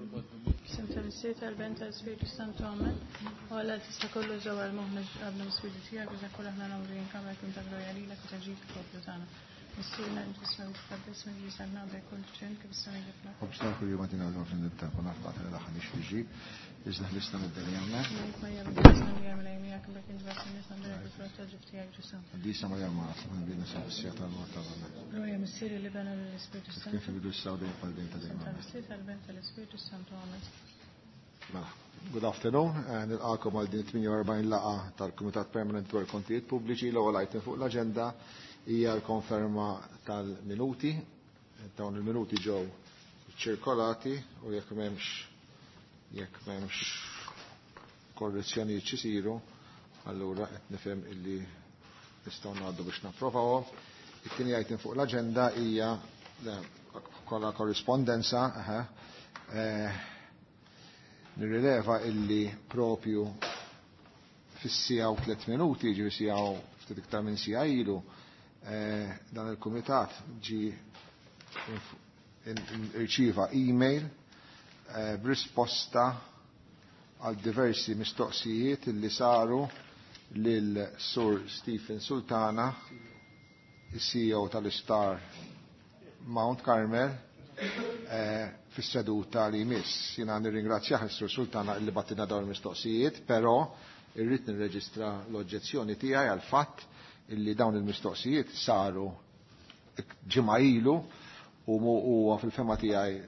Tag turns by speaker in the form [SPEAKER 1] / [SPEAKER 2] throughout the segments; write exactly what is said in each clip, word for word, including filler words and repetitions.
[SPEAKER 1] Isem tal-Missier tal-Ben tal-Spiritu Santu Amen. U Alla tista' kollu ġewwa l-moħħna qablu l-Spiritu tiegħek biex kull aħna nagħmlu jinkamra kun ta' glorja lilek u taġġid il-poplu tagħna. Missierna inti tisma' tqabbes minn Ġisem naqbel kull ċen kif is-sena kif l
[SPEAKER 2] Obsna kull jum għatina għal nibta kun għafqat l-aħħar nix tiġi, iżda ħlisna mid-dinja.
[SPEAKER 1] Marija bil-Ġisem Marija kif kien ġbas nies għandek il-frott tal-ġib tiegħek Ġisem.
[SPEAKER 2] Disa Marija ma għatlu bina sa' tal-mort tal-għana.
[SPEAKER 1] Glorja Missier li bena l-Ispiritu Santu.
[SPEAKER 2] Kif ibidu s-sawdejn pal-dejn ta' dejjem.
[SPEAKER 1] Tal-Missier tal-Ben tal-Ispiritu Santu Amen.
[SPEAKER 2] Mela, good afternoon, nilqakom għal din tmienja u erbgħin laqgħa tal-Kumitat Permanent dwar Kontijiet Pubbliċi. L-ewwel item fuq l-aġenda hija l-konferma tal-minuti. Dawn il-minuti ġew ċirkolati u jekk m'hemmx jekk m'hemmx korrezzjonijiet x'isiru, allura qed nifhem illi nistgħu ngħaddu biex napprovawhom. It-tieni item fuq l-aġenda hija kollha korrispondenza, aha. Eh, nirrileva illi propju fis-sija u tliet minuti, ġifieri sija u ftit iktar minn sija ilu, eh, dan il-kumitat ġi irċieva email, eh, b'risposta għal diversi mistoqsijiet illi saru lil Sur Stephen Sultana, il-C E O tal-Star Mount Carmel, eh, fis-seduta li jmiss. Jiena nirringrazzjah is-Sur Sultana illi battina dawn il-mistoqsijiet, però irrid nirreġistra l-oġġezzjoni tiegħi għal fatt illi dawn il-mistoqsijiet saru ġimgħa ilu u mu huwa fil-fema tiegħi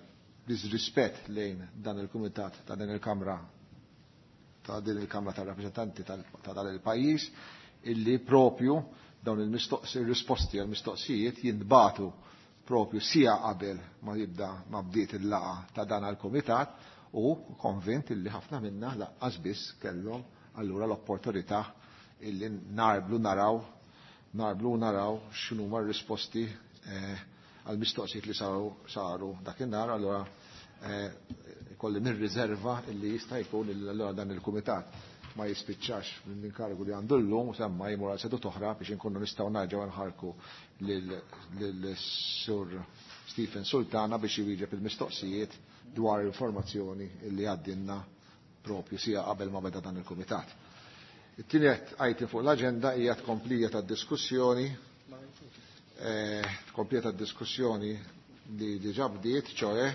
[SPEAKER 2] disrispett lejn dan il-kumitat ta' din il-Kamra ta' din il-Kamra tar-Rappreżentanti ta' dan il-pajjiż illi propju dawn il-mistoqsi, il-risposti għal-mistoqsijiet jintbatu propju sija qabel ma jibda ma bdiet il-laqa ta' dan għal-kumitat u konvint illi ħafna minna laqqas biss kellhom allura l-opportunità illi narblu naraw narblu naraw x'inhuma r-risposti, eh, għal-mistoqsijiet li saru, saru dakinhar, allura, eh, kolli nirriserva illi jista' jkun illi allura dan il-kumitat ma jispiċċax mill-inkargu li għandu llum u semma jmur għal seduta oħra biex inkunu nistgħu nerġgħu nħarku lil Sur Stephen Sultana biex iwieġeb il-mistoqsijiet dwar informazzjoni illi għaddinna propju sija qabel ma beda dan il-kumitat. It-tieni item fuq l-aġenda hija tkomplija tad-diskussjoni, eh, tkomplija tad-diskussjoni li diġà bdiet, ċoe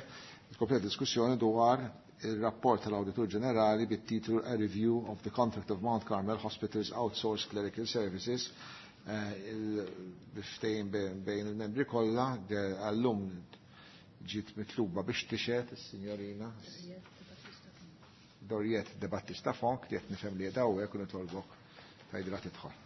[SPEAKER 2] tkomplija diskussjoni dwar il-rapport tal-Awditur Ġenerali bit-titlu A Review of the Contract of Mount Carmel Hospital's Outsourced Clerical Services, eh, il-ftehim bejn il-membri kollha, għallum ġiet mitluba biex tixhed is-sinjorina Doriette De Battista Fonk, li qed nifhem li qiegħda hawnhekk u nitolbok tgħidilha tidħol.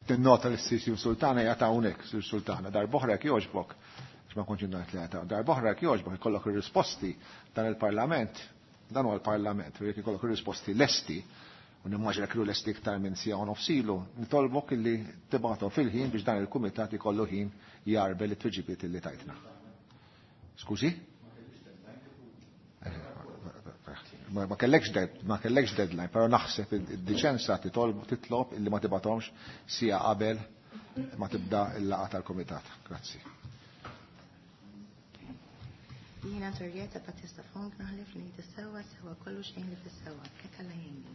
[SPEAKER 2] Tinnota li s-Sir Sultana hija ta' hawnhekk, Sir Sultana, darb'oħra jekk jogħġbok, għax ma kontx ngħid li ta' darb'oħra jekk jogħġbok ikollok ir-risposti dan il-Parlament, dan huwa l-Parlament, u jekk ikollok ir-risposti lesti, u nimmaġina kienu lesti iktar minn siegħa u nofs ilu, nitolbok illi tibgħathom fil-ħin biex dan il-kumitat ikollu ħin jarbel it-tweġibiet illi tajtna. Skużi? Ma, ma kellekx dead, ma kellekx deadline, però naħseb id-diċenza titolb, titlob illi ma tibgħathomx sija qabel ma tibda l-laqgħa tal-kumitat. Grazzi.
[SPEAKER 3] Jiena Torjeta Battista Fonk naħlef li ngħid is-sewwa sewwa kollu xejn li fis-sewwa. Hekk Alla jgħinni.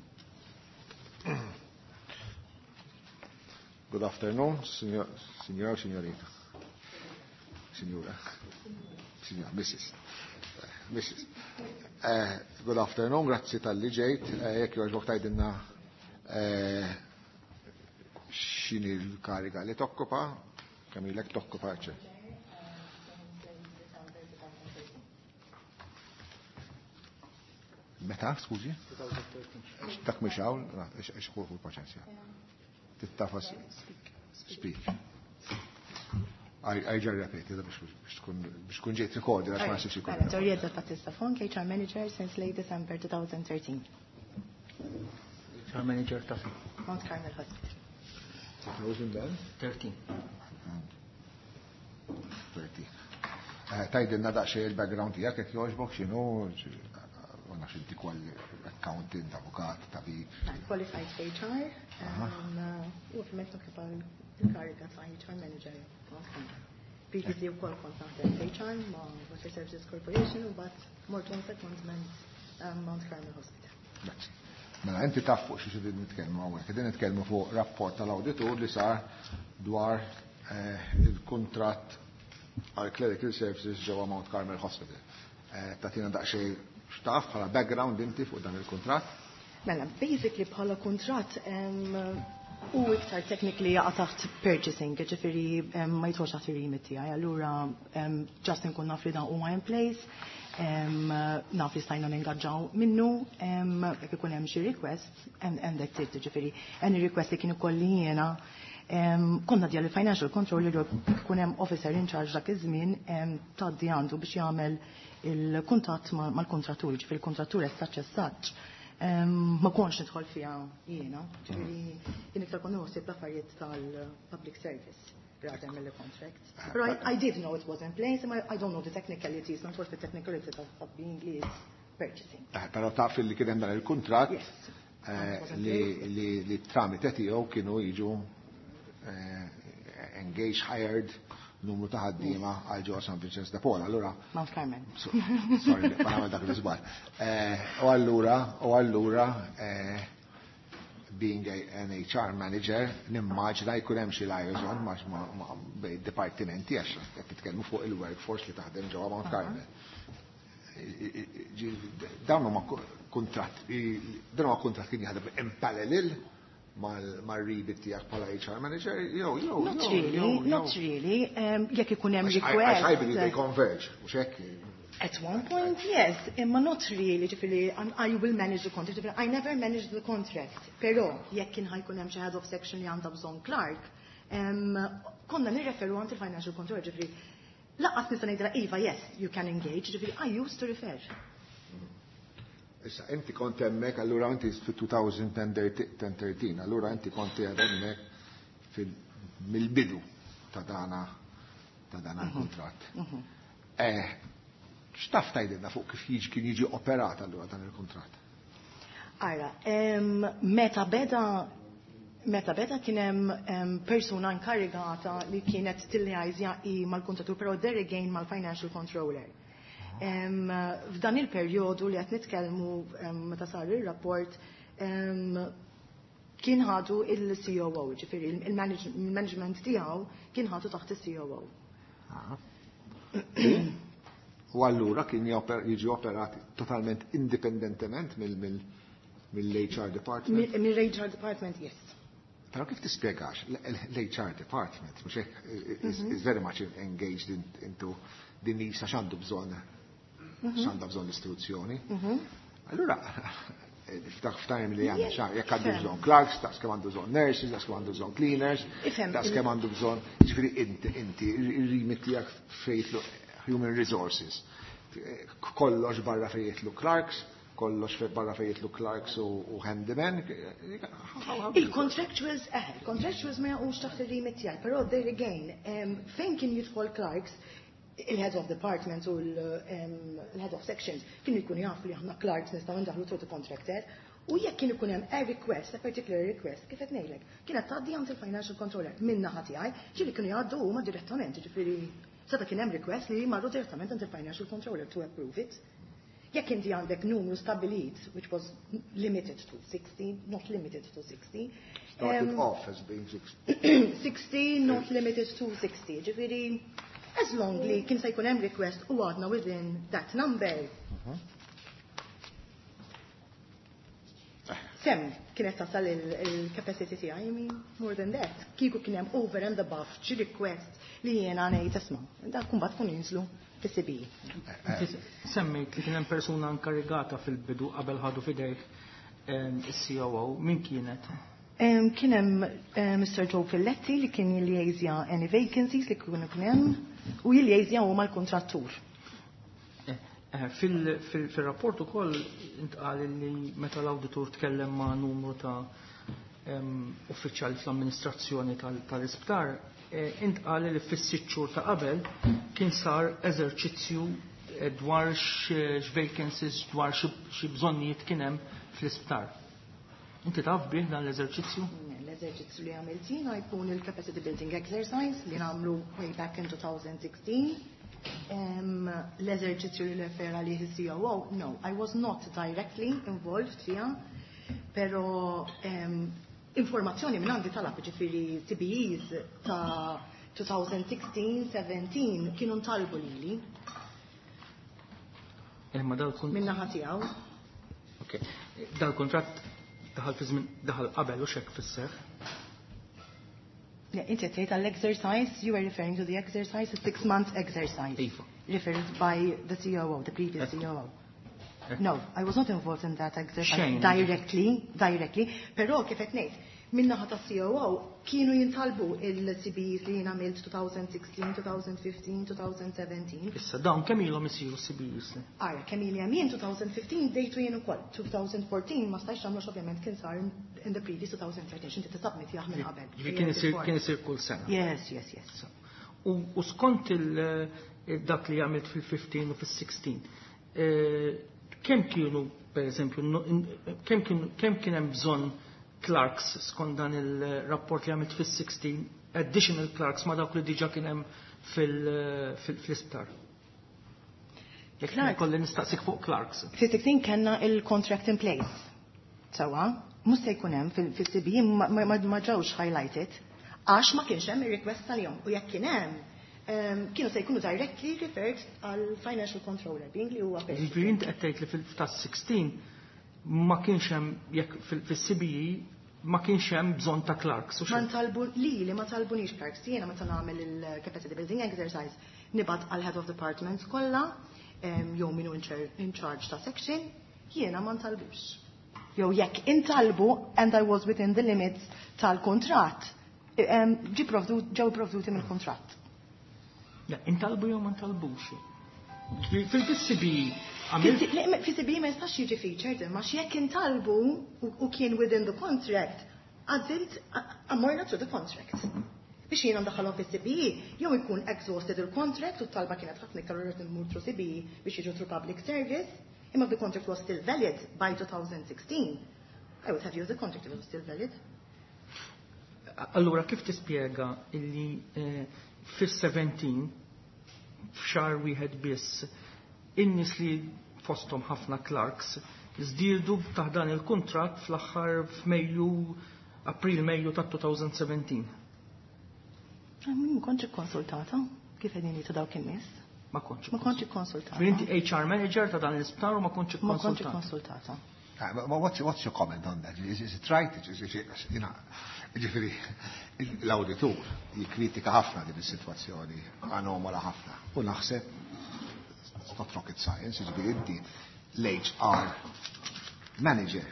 [SPEAKER 2] Good afternoon, signor, signora, signorina. Signora. Signora, Missus Missus Eh, good afternoon, grazzi tal-li ġejt. Eh, jekk jogħġbok tgħidilna, eh, x'inhi l-kariga li tokkupa, kemm ilek tokkupa, eċċetera. Meta, skużi? Dak mhix hawn, ix ħu paċenzja. Tittafas speak. I ġar repeti, da biex tkun, biex tkun ġejt recorded, għax ma nsibx ikun.
[SPEAKER 3] Mela, Torjeta Battista Fonk, H R Manager since late December two thousand thirteen.
[SPEAKER 4] H R Manager ta' fejn?
[SPEAKER 3] Mount Carmel Hospital.
[SPEAKER 2] twenty thirteen.
[SPEAKER 4] thirteen.
[SPEAKER 2] thirteen. Eh, Tgħidilna daqsxejn il-background tiegħek jekk jogħġbok, x'inhu, ma nafx inti kwal accountant, avukat, tabib.
[SPEAKER 3] Qualified H R, um, u ovvjament nokkupa il-kariga ta' H R Manager Mount Carmel. Previously wkoll kont naħdem H R ma' Water Services Corporation u mbagħad mort on secondment um, Mount Carmel Hospital.
[SPEAKER 2] Grazzi. Mela inti taf fuq xi qegħdin nitkellmu hawnhekk. Qegħdin nitkellmu fuq rapport tal-awditur li sar dwar eh, il-kuntratt għal Clerical Services ġewwa Mount Carmel Hospital. Eh, Tagħtina daqsxejn x'taf bħala background inti fuq dan il-kuntratt?
[SPEAKER 3] Mela, basically bħala kuntratt um, u iktar technically jaqa' taħt purchasing, ġifieri um, ma jidħolx taħt ir-remit tiegħi. Allura um, just nkun naf li dan huwa in place, um, naf li stajna ningaġġaw minnu, um, jekk ikun hemm xi request, and, and that's it, ġifieri any request li kien ikolli jiena um, konna djal il-financial controller jew ikun hemm officer in charge dak iż-żmien um, tgħaddi għandu biex jagħmel il-kuntatt mal-kontrattur, ġifieri il-kontrattur as such as such. Um, ma kontx nidħol fiha jiena, ġifieri jien iktar kont nħossib l-affarijiet tal-public service rather mill contract. But I, I did know it was in place, and I, I don't know the technicalities, not the technicalities of, of being lead purchasing.
[SPEAKER 2] Eh, Però taf li kien hemm dan il-kuntratt
[SPEAKER 3] Yes.
[SPEAKER 2] eh, li li li tramite tiegħu kienu jiġu eh, engaged, hired numru ta' ħaddiema għal ġewwa San Vincenzo de Paul. Allura
[SPEAKER 3] Mount Carmel.
[SPEAKER 2] So- Sorry, ma nagħmel dak l-iżball. Eh, U allura, u allura, eh, being a, an H R manager, nimmaġina jkun hemm xi liaison ma' ma' ma' bejn dipartimenti għax qed titkellmu fuq il-workforce li taħdem ġewwa Mount Carmel. Ġi- Dawn huma kuntratt, dan huwa kuntratt kien jaħdem in parallel mal-remit tiegħek bħala H R manager, jew jew
[SPEAKER 3] Not
[SPEAKER 2] jew,
[SPEAKER 3] really,
[SPEAKER 2] jew,
[SPEAKER 3] not
[SPEAKER 2] jew.
[SPEAKER 3] really. Um, jekk ikun hemm
[SPEAKER 2] Għax I- għax I believe they
[SPEAKER 3] request.
[SPEAKER 2] converge, mhux hekk?
[SPEAKER 3] At one point, yes, imma not really, ġifieri, um, I will manage the contract, ġifieri, I never managed the contract. Però, jekk kien ħa jkun hemm xi head of section li għandha bżonn clerk, um, konna nirreferu għand il-financial control, ġifieri, lanqas nista' ngħidilha iva, yes, you can engage, ġifieri, I used to refer.
[SPEAKER 2] Issa, inti kont hemmhekk, allura inti fil-twenty thirteen, allura inti kont qiegħed hemmhekk fil- mill-bidu ta' dana ta' dana l-kuntratt. Eh, X'taf tgħidilna fuq kif jiġi kien jiġi operat allura dan il-kuntratt?
[SPEAKER 3] Ara, em, meta beda meta beda kien hemm em, persuna inkarigata li kienet tilliajżja i mal-kontrattur, però there again mal-financial controller. Em, F'dan il-perjodu li qed nitkellmu em, meta sar ir-rapport, em, kien ħadu il-C O O, ġifieri il-management tiegħu kien ħadu taħt il-C O O.
[SPEAKER 2] U allura kien joper- jiġi operat totalment indipendentement mill-H R department?
[SPEAKER 3] Mill-H R department, yes.
[SPEAKER 2] Però kif tispjegax l-H R department, mhux hekk, is, is very much engaged in, into din nisa x'għandu bżonn, x'għandha bżonn l-istituzzjoni. Allura, ftaħ ftajm li għandna xa, jekk għandu bżonn clerks, daqs kemm għandu bżonn nurses, daqs kemm għandu bżonn cleaners,
[SPEAKER 3] Ifhem,
[SPEAKER 2] daqs
[SPEAKER 3] il-
[SPEAKER 2] kemm għandu bżonn, ġifieri inti, inti, il-remit tiegħek fejn jidħlu human resources. Kollox barra fejn jidħlu clerks, kollox fe- barra fejn jidħlu clerks u, u handyman.
[SPEAKER 3] Il-contractuals, eh, il-contractuals ma jaqgħux taħt il-remit tiegħi, però there again, em, fejn kien jidħol clerks, il-head of department u l-head of sections kienu jkunu jafu li aħna clerks nistgħu ndaħlu through the contractor. U jekk kien ikun hemm a request, a particular request, kif qed ngħidlek, kienet tgħaddi għand il-financial controller minn naħa tiegħi, ġieli kienu jgħaddu huma direttament, ġifieri seta' kien hemm request li marru direttament għand il-financial controller to approve it. Jekk inti għandek numru stabilit, which was limited to sixty, not limited to sixty.
[SPEAKER 2] Started
[SPEAKER 3] um,
[SPEAKER 2] off as being sixty.
[SPEAKER 3] sixty, not limited to sixty. Ġifieri, as long li kien se jkun hemm request u għadna within that number. Sem kienet tasal il-capacity tiegħi, I mean, more than that. Kieku kien hemm over and above xi request li jiena ngħid isma', dak kumbat kun jinżlu fis-C B.
[SPEAKER 4] Inti semmejt li kien hemm persuna inkarigata fil-bidu qabel ħadu fidejh em, is-C O O, min kienet?
[SPEAKER 3] Um, kien hemm uh, Mister Joe Filletti li kien jilliaisja any vacancies li kienu kien hemm u jilliaisja hu mal-kontrattur.
[SPEAKER 4] Eh, Eh, fil-rapport ukoll intqal li meta l-awditur tkellem ma' numru ta' uffiċjali fl-amministrazzjoni tal-isptar, eh, intqal li fis-sitt xhur ta' qabel kien sar eżerċizzju eh, dwar x-vacancies, dwar xi bżonnijiet kien hemm fl-isptar. Inti taf bih dan l-eżerċizzju?
[SPEAKER 3] L-eżerċizzju li għamilt jiena jkun il-capacity building exercise li nagħmlu way back in twenty sixteen. um, L-eżerċizzju li refera li C O O, no, I was not directly involved fiha, pero um, informazzjoni minn għandi talab, ġifieri C B Es ta' twenty sixteen seventeen kienu ntalbu lili
[SPEAKER 4] Imma dal-kunt
[SPEAKER 3] minn naħa tiegħu.
[SPEAKER 4] Ok. Dal-kuntratt daħal fi żmien, daħal qabel u xek fis-seħħ.
[SPEAKER 3] Le, inti qed tgħid għall-exercise, you were referring to the exercise, a six month exercise.
[SPEAKER 4] Iva.
[SPEAKER 3] Referred by the C O O, the previous
[SPEAKER 4] Ekku.
[SPEAKER 3] C O O.
[SPEAKER 4] Ekku.
[SPEAKER 3] No, I was not involved in that exercise
[SPEAKER 4] Xejn.
[SPEAKER 3] directly, directly, però kif qed ngħid, min-naħa ta' C O O kienu jintalbu il-C B Es li jien għamilt twenty sixteen, twenty fifteen, twenty seventeen.
[SPEAKER 4] Issa dawn kemm ilhom isiru C B Es?
[SPEAKER 3] Ara, kemm ili jien, twenty fifteen bdejtu jien ukoll. twenty fourteen ma stajx nagħmlux, ovvjament kien sar in the previous twenty thirteen, x'inti tisubmit minn qabel.
[SPEAKER 4] Ġifieri kien isir kien isir kull sena.
[SPEAKER 3] Yes, yes, yes.
[SPEAKER 4] U, u skont il, dak li għamilt fil-fifteen u fil-sixteen, eh, kemm kienu, per eżempju, no- in- kemm kien kemm kien hemm bżonn clerks skont dan il-rapport li għamilt fil-sixteen, additional clerks ma dawk li diġa kien hemm fil- fil- fl-isptar? Jekk
[SPEAKER 3] Clerks.
[SPEAKER 4] kolli nistaqsik fuq clerks.
[SPEAKER 3] Fil-sixteen kellna il-contract in place. Sawa, mhux se jkun hemm fil-C B E ma ma- ma ġewx highlighted għax ma kienx hemm ir-request tal-jom u jekk kien hemm em, kienu se jkunu directly referred għal financial controller being li huwa
[SPEAKER 4] Ġifieri inti qed tgħid li fil-tas-sixteen ma kienx hemm, jekk fil-C B E ma kienx hemm bżonn ta' clerks u
[SPEAKER 3] Ma
[SPEAKER 4] xejn.
[SPEAKER 3] ntalbu li li ma talbunix clerks. Jiena meta nagħmel il-capacity building exercise nibgħat għal head of departments kollha em, jew minu in char- in charge ta' section, jiena ma ntalbux. Jew jekk intalbu and I was within the limits tal-kontratt, em, ġi provdu, ġew provduti mill-kontratt.
[SPEAKER 4] Le, intalbu jew ma ntalbux. Fil-C B E għamilt
[SPEAKER 3] Fi C B E ma jistax jiġi featured, imma jekk intalbu u u kien within the contract, għażilt ammorna through the contract. Biex jiena ndaħħalhom fis-C B E, jew ikun exhausted il-contract u t-talba kienet ħafna iktar u rrid immur through C B E biex jiġu through public service, imma the contract was still valid by twenty sixteen, I would have used the contract if it was still valid.
[SPEAKER 4] Allura kif tispjega illi eh, fis-seventeen f'xahar wieħed biss in-nies li fosthom ħafna clerks żdiedu taħt dan il-kuntratt fl-aħħar f'Mejju, April, Mejju ta' twenty seventeen?
[SPEAKER 3] Ah, ma kontx ikkonsultata kif qegħdin jgħidu dawk in-nies.
[SPEAKER 4] Ma kontx.
[SPEAKER 3] Ma kontx ikkonsultata.
[SPEAKER 4] Ġifieri inti H R manager ta' dan l-isptar u ma kontx
[SPEAKER 3] Ma kontx
[SPEAKER 4] ikkonsultata.
[SPEAKER 3] ikkonsultata.
[SPEAKER 2] Ah, but what's, what's your comment on that? Is, is it right? Is, is, is, you know, ġifieri, l-auditur jikritika ħafna din is-sitwazzjoni anomala ħafna. U naħseb, it's not rocket science, ġifieri inti l-H R manager,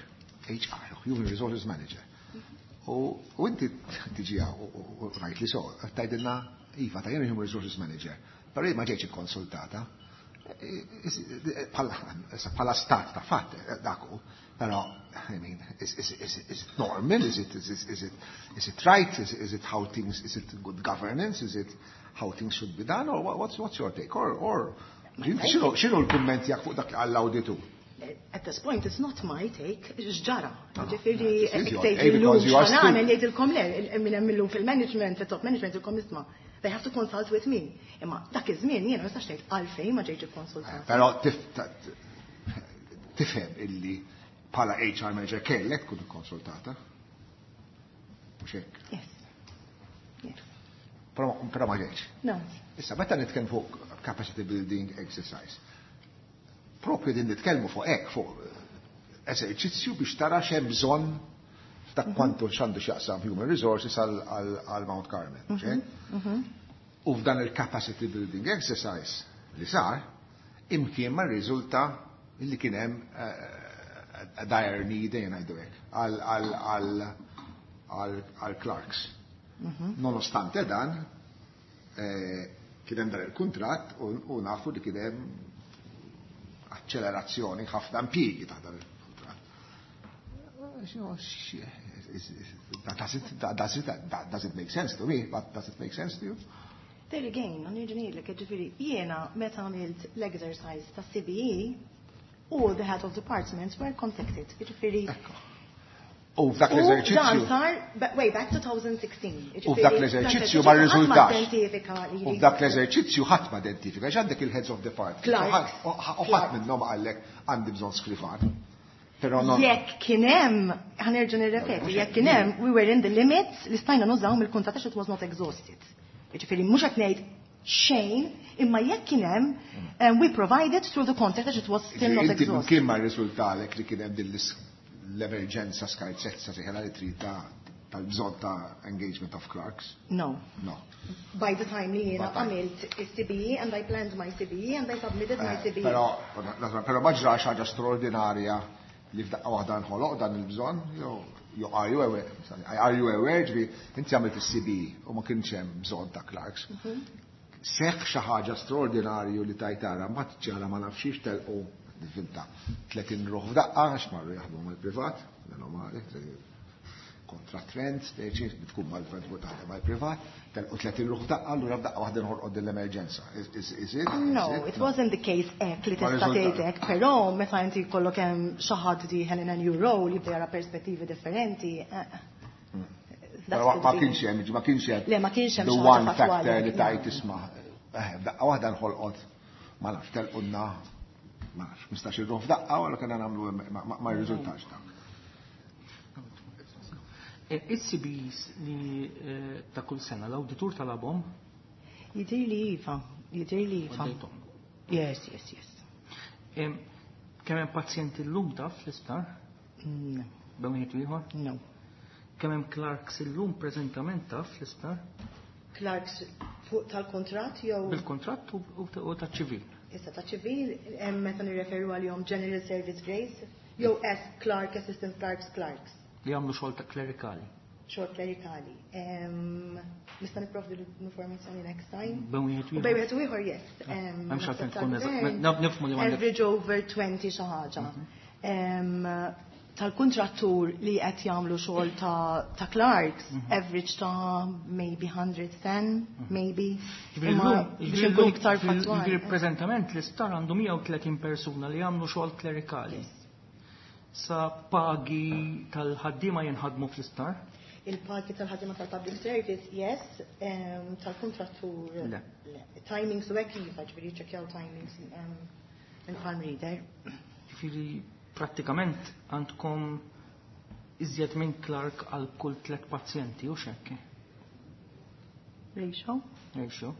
[SPEAKER 2] H R, Human Resources Manager. U, u inti tiġi u, u, u rajt li so, tgħidilna, iva, ta' jena Human Resources Manager, però ma ġejtx konsultata. Bħala stat ta' fatt, dak hu, però, I mean, is, is, is, is it normal? Is it, is, it, is, it, is it right? Is, is it how things, is it good governance? Is it how things should be done? Or what's, what's your take? Or, or x'inhu x'inhu l-kumment tiegħek fuq dak għall-awditur?
[SPEAKER 3] At this point, it's not my take, x'ġara. Ġifieri,
[SPEAKER 2] This is your take because you are still-
[SPEAKER 3] x'għamel jgħidilkom le, minn hemm illum fil-management, fil-top management, jgħidilkom isma'. They have to consult with me. Imma dak iż-żmien jiena ma nistax ngħid għalfejn ma ġejtx ikkonsultata.
[SPEAKER 2] Però tif- ta- tifhem illi bħala H R manager kellek tkun konsultata. Mhux hekk?
[SPEAKER 3] Yes. Yes.
[SPEAKER 2] Però però ma ġejtx.
[SPEAKER 3] No.
[SPEAKER 2] Issa, meta nitkellmu fuq capacity building exercise, propju din nitkellmu fuq hekk, fuq eżerċizzju biex tara x'hemm bżonn f'dak kwantu x'għandu x'jaqsam human resources għal- għal għal Mount Carmel. Mhux hekk? U f'dan il-capacity building exercise li sar, imkien ma rriżulta illi kien hemm eh, a dire need, ejja ngħidu hekk, għal għal għal għal għal clerks. Nonostante dan, eh, kien hemm dan il-kuntratt u u nafu li kien hemm Accelerazzjoni ħafna impjiegi ta' dan il-kuntratt. Does it, does it, does it make sense to me? But does it make sense to you?
[SPEAKER 3] There again, nerġa' ngħidlek, ġifieri, jiena meta għamilt l-exercise ta' C B E, all the head of departments were contacted. Ġifieri,
[SPEAKER 2] Ekko. U f'dak
[SPEAKER 3] u dan
[SPEAKER 2] l-eżerċizzju,
[SPEAKER 3] sar ba- way back twenty sixteen.
[SPEAKER 2] U f'dak l-eżerċizzju ma rriżultax.
[SPEAKER 3] Rriżultax.
[SPEAKER 2] U f'dak l-eżerċizzju ħadd ma identifika, għax għandek il-heads of department.
[SPEAKER 3] Clerks.
[SPEAKER 2] U ħadd- U ħadd minnhom qallek għandi bżonn skrivan. Però non.
[SPEAKER 3] Jekk kien hemm, ħa nerġa' nirrepeti, jekk kien hemm, we were in the limits li stajna nużaw mill-kuntratt għax it was not exhausted. Ġifieri mhux qed ngħid xejn, imma jekk kien hemm, um, we provided through the contract għax it was still not
[SPEAKER 2] Inti
[SPEAKER 3] exhausted.
[SPEAKER 2] kien ma rriżultalek li kien hemm din l- l-emerġenza skarsezza seħela li trid ta' tal-bżonn ta' engagement of clerks?
[SPEAKER 3] No.
[SPEAKER 2] No.
[SPEAKER 3] By the time li jiena
[SPEAKER 2] By time.
[SPEAKER 3] għamilt il-C B E and I planned my C B E and I submitted my
[SPEAKER 2] Eh,
[SPEAKER 3] C B E.
[SPEAKER 2] Però, però ma ġrax ħaġa straordinarja li f'daqqa waħda nħoloq dan il-bżonn, jew jew are you aware, sorry, are you aware, ġifieri, inti għamilt il-C B E u ma kienx hemm bżonn ta' clerks. Seħħ xi ħaġa straordinarju li tajtara, ma ġara ma nafxiex telqu finta tletin ruħ f'daqqa għax marru jaħdmu mal-privat, normali, kontra trend, speċi, tkun mal-privat taħdem mal-privat, telqu tletin ruħ f'daqqa, allura f'daqqa waħda nħolqod din l-emerġenza. Is, is, is it?
[SPEAKER 3] No,
[SPEAKER 2] Is
[SPEAKER 3] it wasn't the case hekk li
[SPEAKER 2] Ma
[SPEAKER 3] tista'
[SPEAKER 2] riżulta.
[SPEAKER 3] tgħid hekk, però meta inti jkollok hemm xi ħadd dieħel in a new role jibda jara perspettivi differenti. eh,
[SPEAKER 2] Però ma ma kienx hemm, ma kienx hemm.
[SPEAKER 3] Le, ma kienx hemm
[SPEAKER 2] the
[SPEAKER 3] xi ħaġa
[SPEAKER 2] one
[SPEAKER 3] fattwali.
[SPEAKER 2] Factor li tajt isma'. Eh, f'daqqa waħda nħolqot, ma nafx, telqunna, ma nafx, ħmistax-il ruħ f'daqqa, wara kena nagħmlu ma- ma ma rriżultax dak.
[SPEAKER 4] Eh, Is-C Bs li eh, ta' kull sena l-awditur talabhom?
[SPEAKER 3] Jidir li iva, jidir li iva.
[SPEAKER 4] Għaddejthom.
[SPEAKER 3] Yes, yes, yes.
[SPEAKER 4] Em, Kemm hemm pazjenti llum taf fl-isptar?
[SPEAKER 3] No,
[SPEAKER 4] Bejn wieħed u ieħor?
[SPEAKER 3] No.
[SPEAKER 4] Kemm hemm clerks illum preżentament taf fl-isptar?
[SPEAKER 3] Clerks fuq tal-kontrat jew
[SPEAKER 4] Bil-kontratt u u u taċ-ċivil.
[SPEAKER 3] Issa ta' ċivil hemm meta nirreferu għalihom general service grades jew S clerk, assistant clerks, clerks.
[SPEAKER 4] Li jagħmlu xogħol ta' klerikali.
[SPEAKER 3] Xogħol klerikali. Em, Nista' nipprovdi l-informazzjoni next time.
[SPEAKER 4] Bejn wieħed u
[SPEAKER 3] U bejn
[SPEAKER 4] ieħor.
[SPEAKER 3] wieħed u ieħor, yes. Em,
[SPEAKER 4] M'hemmx għalfejn tkun
[SPEAKER 3] naħseb
[SPEAKER 4] eżatt.
[SPEAKER 3] tal-gvern,
[SPEAKER 4] Naf- Nifhmu li m'għandek.
[SPEAKER 3] average over twenty xi ħaġa. Em, Tal-kontrattur li qed jagħmlu xogħol ta' ta' clerks, average ta' maybe one hundred ten, maybe.
[SPEAKER 4] Ġifieri
[SPEAKER 3] Imma
[SPEAKER 4] llum-
[SPEAKER 3] biex
[SPEAKER 4] ġifieri
[SPEAKER 3] inkun
[SPEAKER 4] llum-
[SPEAKER 3] iktar
[SPEAKER 4] ġifieri
[SPEAKER 3] fattwali.
[SPEAKER 4] Preżentament l-isptar għandu mija u tletin persuna li jagħmlu xogħol klerikali. Sa pagi tal-ħaddiema jinħadmu fl-isptar?
[SPEAKER 3] Il-pagi tal-ħaddiema tal-public service, yes, em, tal-kontrattur.
[SPEAKER 4] Le.
[SPEAKER 3] Le. Timings u hekk iva, ġifieri ċekjaw timings em, il-palm reader.
[SPEAKER 4] Ġifieri prattikament għandkom iżjed minn clerk għal kull tliet pazjenti u xekk.
[SPEAKER 3] Ratio?
[SPEAKER 4] Ratio.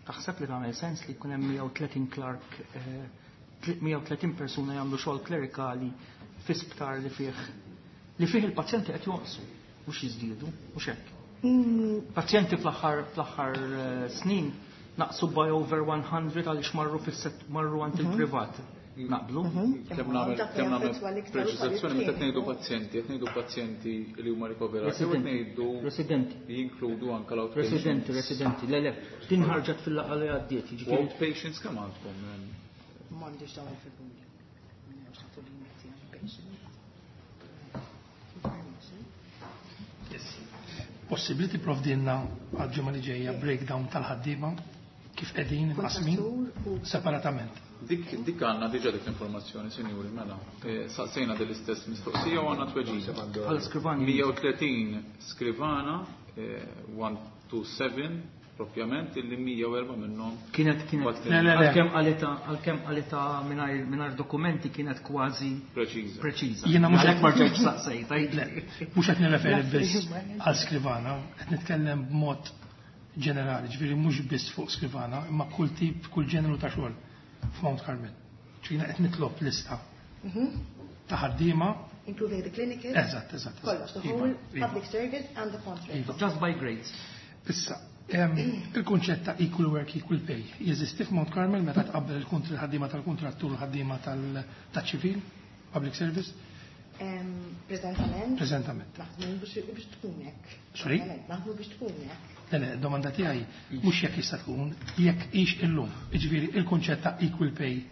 [SPEAKER 4] Taħseb li tagħmel sens li jkun hemm mija u tletin clerk, eh, mija u tletin persuna jagħmlu xogħol klerikali fi sptar li fih li fih il-pazjenti qed jonqsu mhux jiżdiedu, mhux hekk?
[SPEAKER 3] Mm,
[SPEAKER 4] Pazjenti fl-aħħar fl-aħħar eh, snin naqsu by over one hundred għaliex marru fis-set marru għand il-privat. Naqblu?
[SPEAKER 5] Kemm nagħmel
[SPEAKER 3] Dak li
[SPEAKER 5] kemm nagħmel
[SPEAKER 3] jaffettwa l-iktar
[SPEAKER 5] preċiżazzjoni, meta
[SPEAKER 3] ukoll
[SPEAKER 5] qed ngħidu pazjenti, qed ngħidu pazjenti li huma rikoverati u qed ngħidu
[SPEAKER 4] Residenti.
[SPEAKER 5] li jinkludu anke l-outpatients.
[SPEAKER 4] Residenti, residenti. Le, le, din ħarġet fil-laqgħa li għaddiet,
[SPEAKER 5] U
[SPEAKER 4] jiġifieri
[SPEAKER 5] outpatients kemm għandkom?
[SPEAKER 3] M'għandix dawn il-figuri. M'għandix nagħtu limiti għal patients. Information.
[SPEAKER 6] Possibbli tipprovdilna għal-ġimgħa li ġejja breakdown tal-ħaddiema kif qegħdin imqasmin
[SPEAKER 3] Kontrattur u
[SPEAKER 6] separatament?
[SPEAKER 5] Dik dik għandna diġà dik l-informazzjoni, sinjuri, mela. Eh, Saqsejna din l-istess mistoqsija u għandna tweġiba.
[SPEAKER 4] Bħal skrivani.
[SPEAKER 5] mija u tletin skrivana, eh, one two seven propjament, illi mija u erbgħa minnhom
[SPEAKER 4] Kienet kienet
[SPEAKER 5] Bat-
[SPEAKER 6] Le, le, le.
[SPEAKER 4] għalkemm qalita għalkemm qalita mingħajr mingħajr dokumenti kienet kważi
[SPEAKER 5] preċiża.
[SPEAKER 4] Preċiża.
[SPEAKER 6] Jiena mhux
[SPEAKER 4] Għalhekk
[SPEAKER 6] qed-
[SPEAKER 4] ma rġajtx saqsejt.
[SPEAKER 6] Le, mhux qed nirreferi biss għal skrivana, qed nitkellem b'mod ġenerali, ġifieri mhux biss fuq skrivana, imma kull tip, kull ġeneru ta' xogħol f'Mount Carmel. Ġifieri qed nitlob lista ta' ħaddiema.
[SPEAKER 3] Including the clinical.
[SPEAKER 6] Eżatt, eżatt.
[SPEAKER 3] Kollox, the
[SPEAKER 6] Iva,
[SPEAKER 3] whole
[SPEAKER 6] iva.
[SPEAKER 3] public service and the contract.
[SPEAKER 6] Iva.
[SPEAKER 4] Just by grades.
[SPEAKER 6] Issa, em, il-kunċett ta' equal work, equal pay, jeżisti f'Mount Carmel meta tqabbel il-kontr il-ħaddiema tal-kontrattur u l-ħaddiema tal-ċivil, public service?
[SPEAKER 3] Em, Preżentament.
[SPEAKER 6] Preżentament.
[SPEAKER 3] Naħdmu biex biex tkun hekk.
[SPEAKER 6] Sorry?
[SPEAKER 3] Naħdmu biex tkun hekk.
[SPEAKER 6] Le, le, domanda tiegħi mhux jekk jista' tkun, jekk hix illum. Jiġifieri il-kunċett ta' equal pay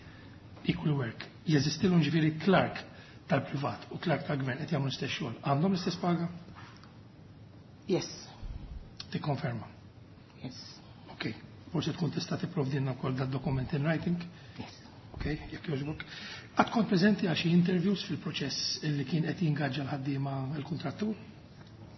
[SPEAKER 6] Equal work. Jeżistilhom ġifieri clerk tal-privat u clerk tal-gvern qed jagħmlu l-istess xogħol. Għandhom l-istess paga?
[SPEAKER 3] Yes.
[SPEAKER 6] Tikkonferma.
[SPEAKER 3] Yes.
[SPEAKER 6] Ok. Forsi tkun tista' tipprovdilna wkoll dad-dokument in writing?
[SPEAKER 3] Yes.
[SPEAKER 6] Ok, jekk jogħġbok. Qatt kont preżenti għal xi interviews fil-proċess illi kien qed jingaġġa l-ħaddiema l-kuntrattur?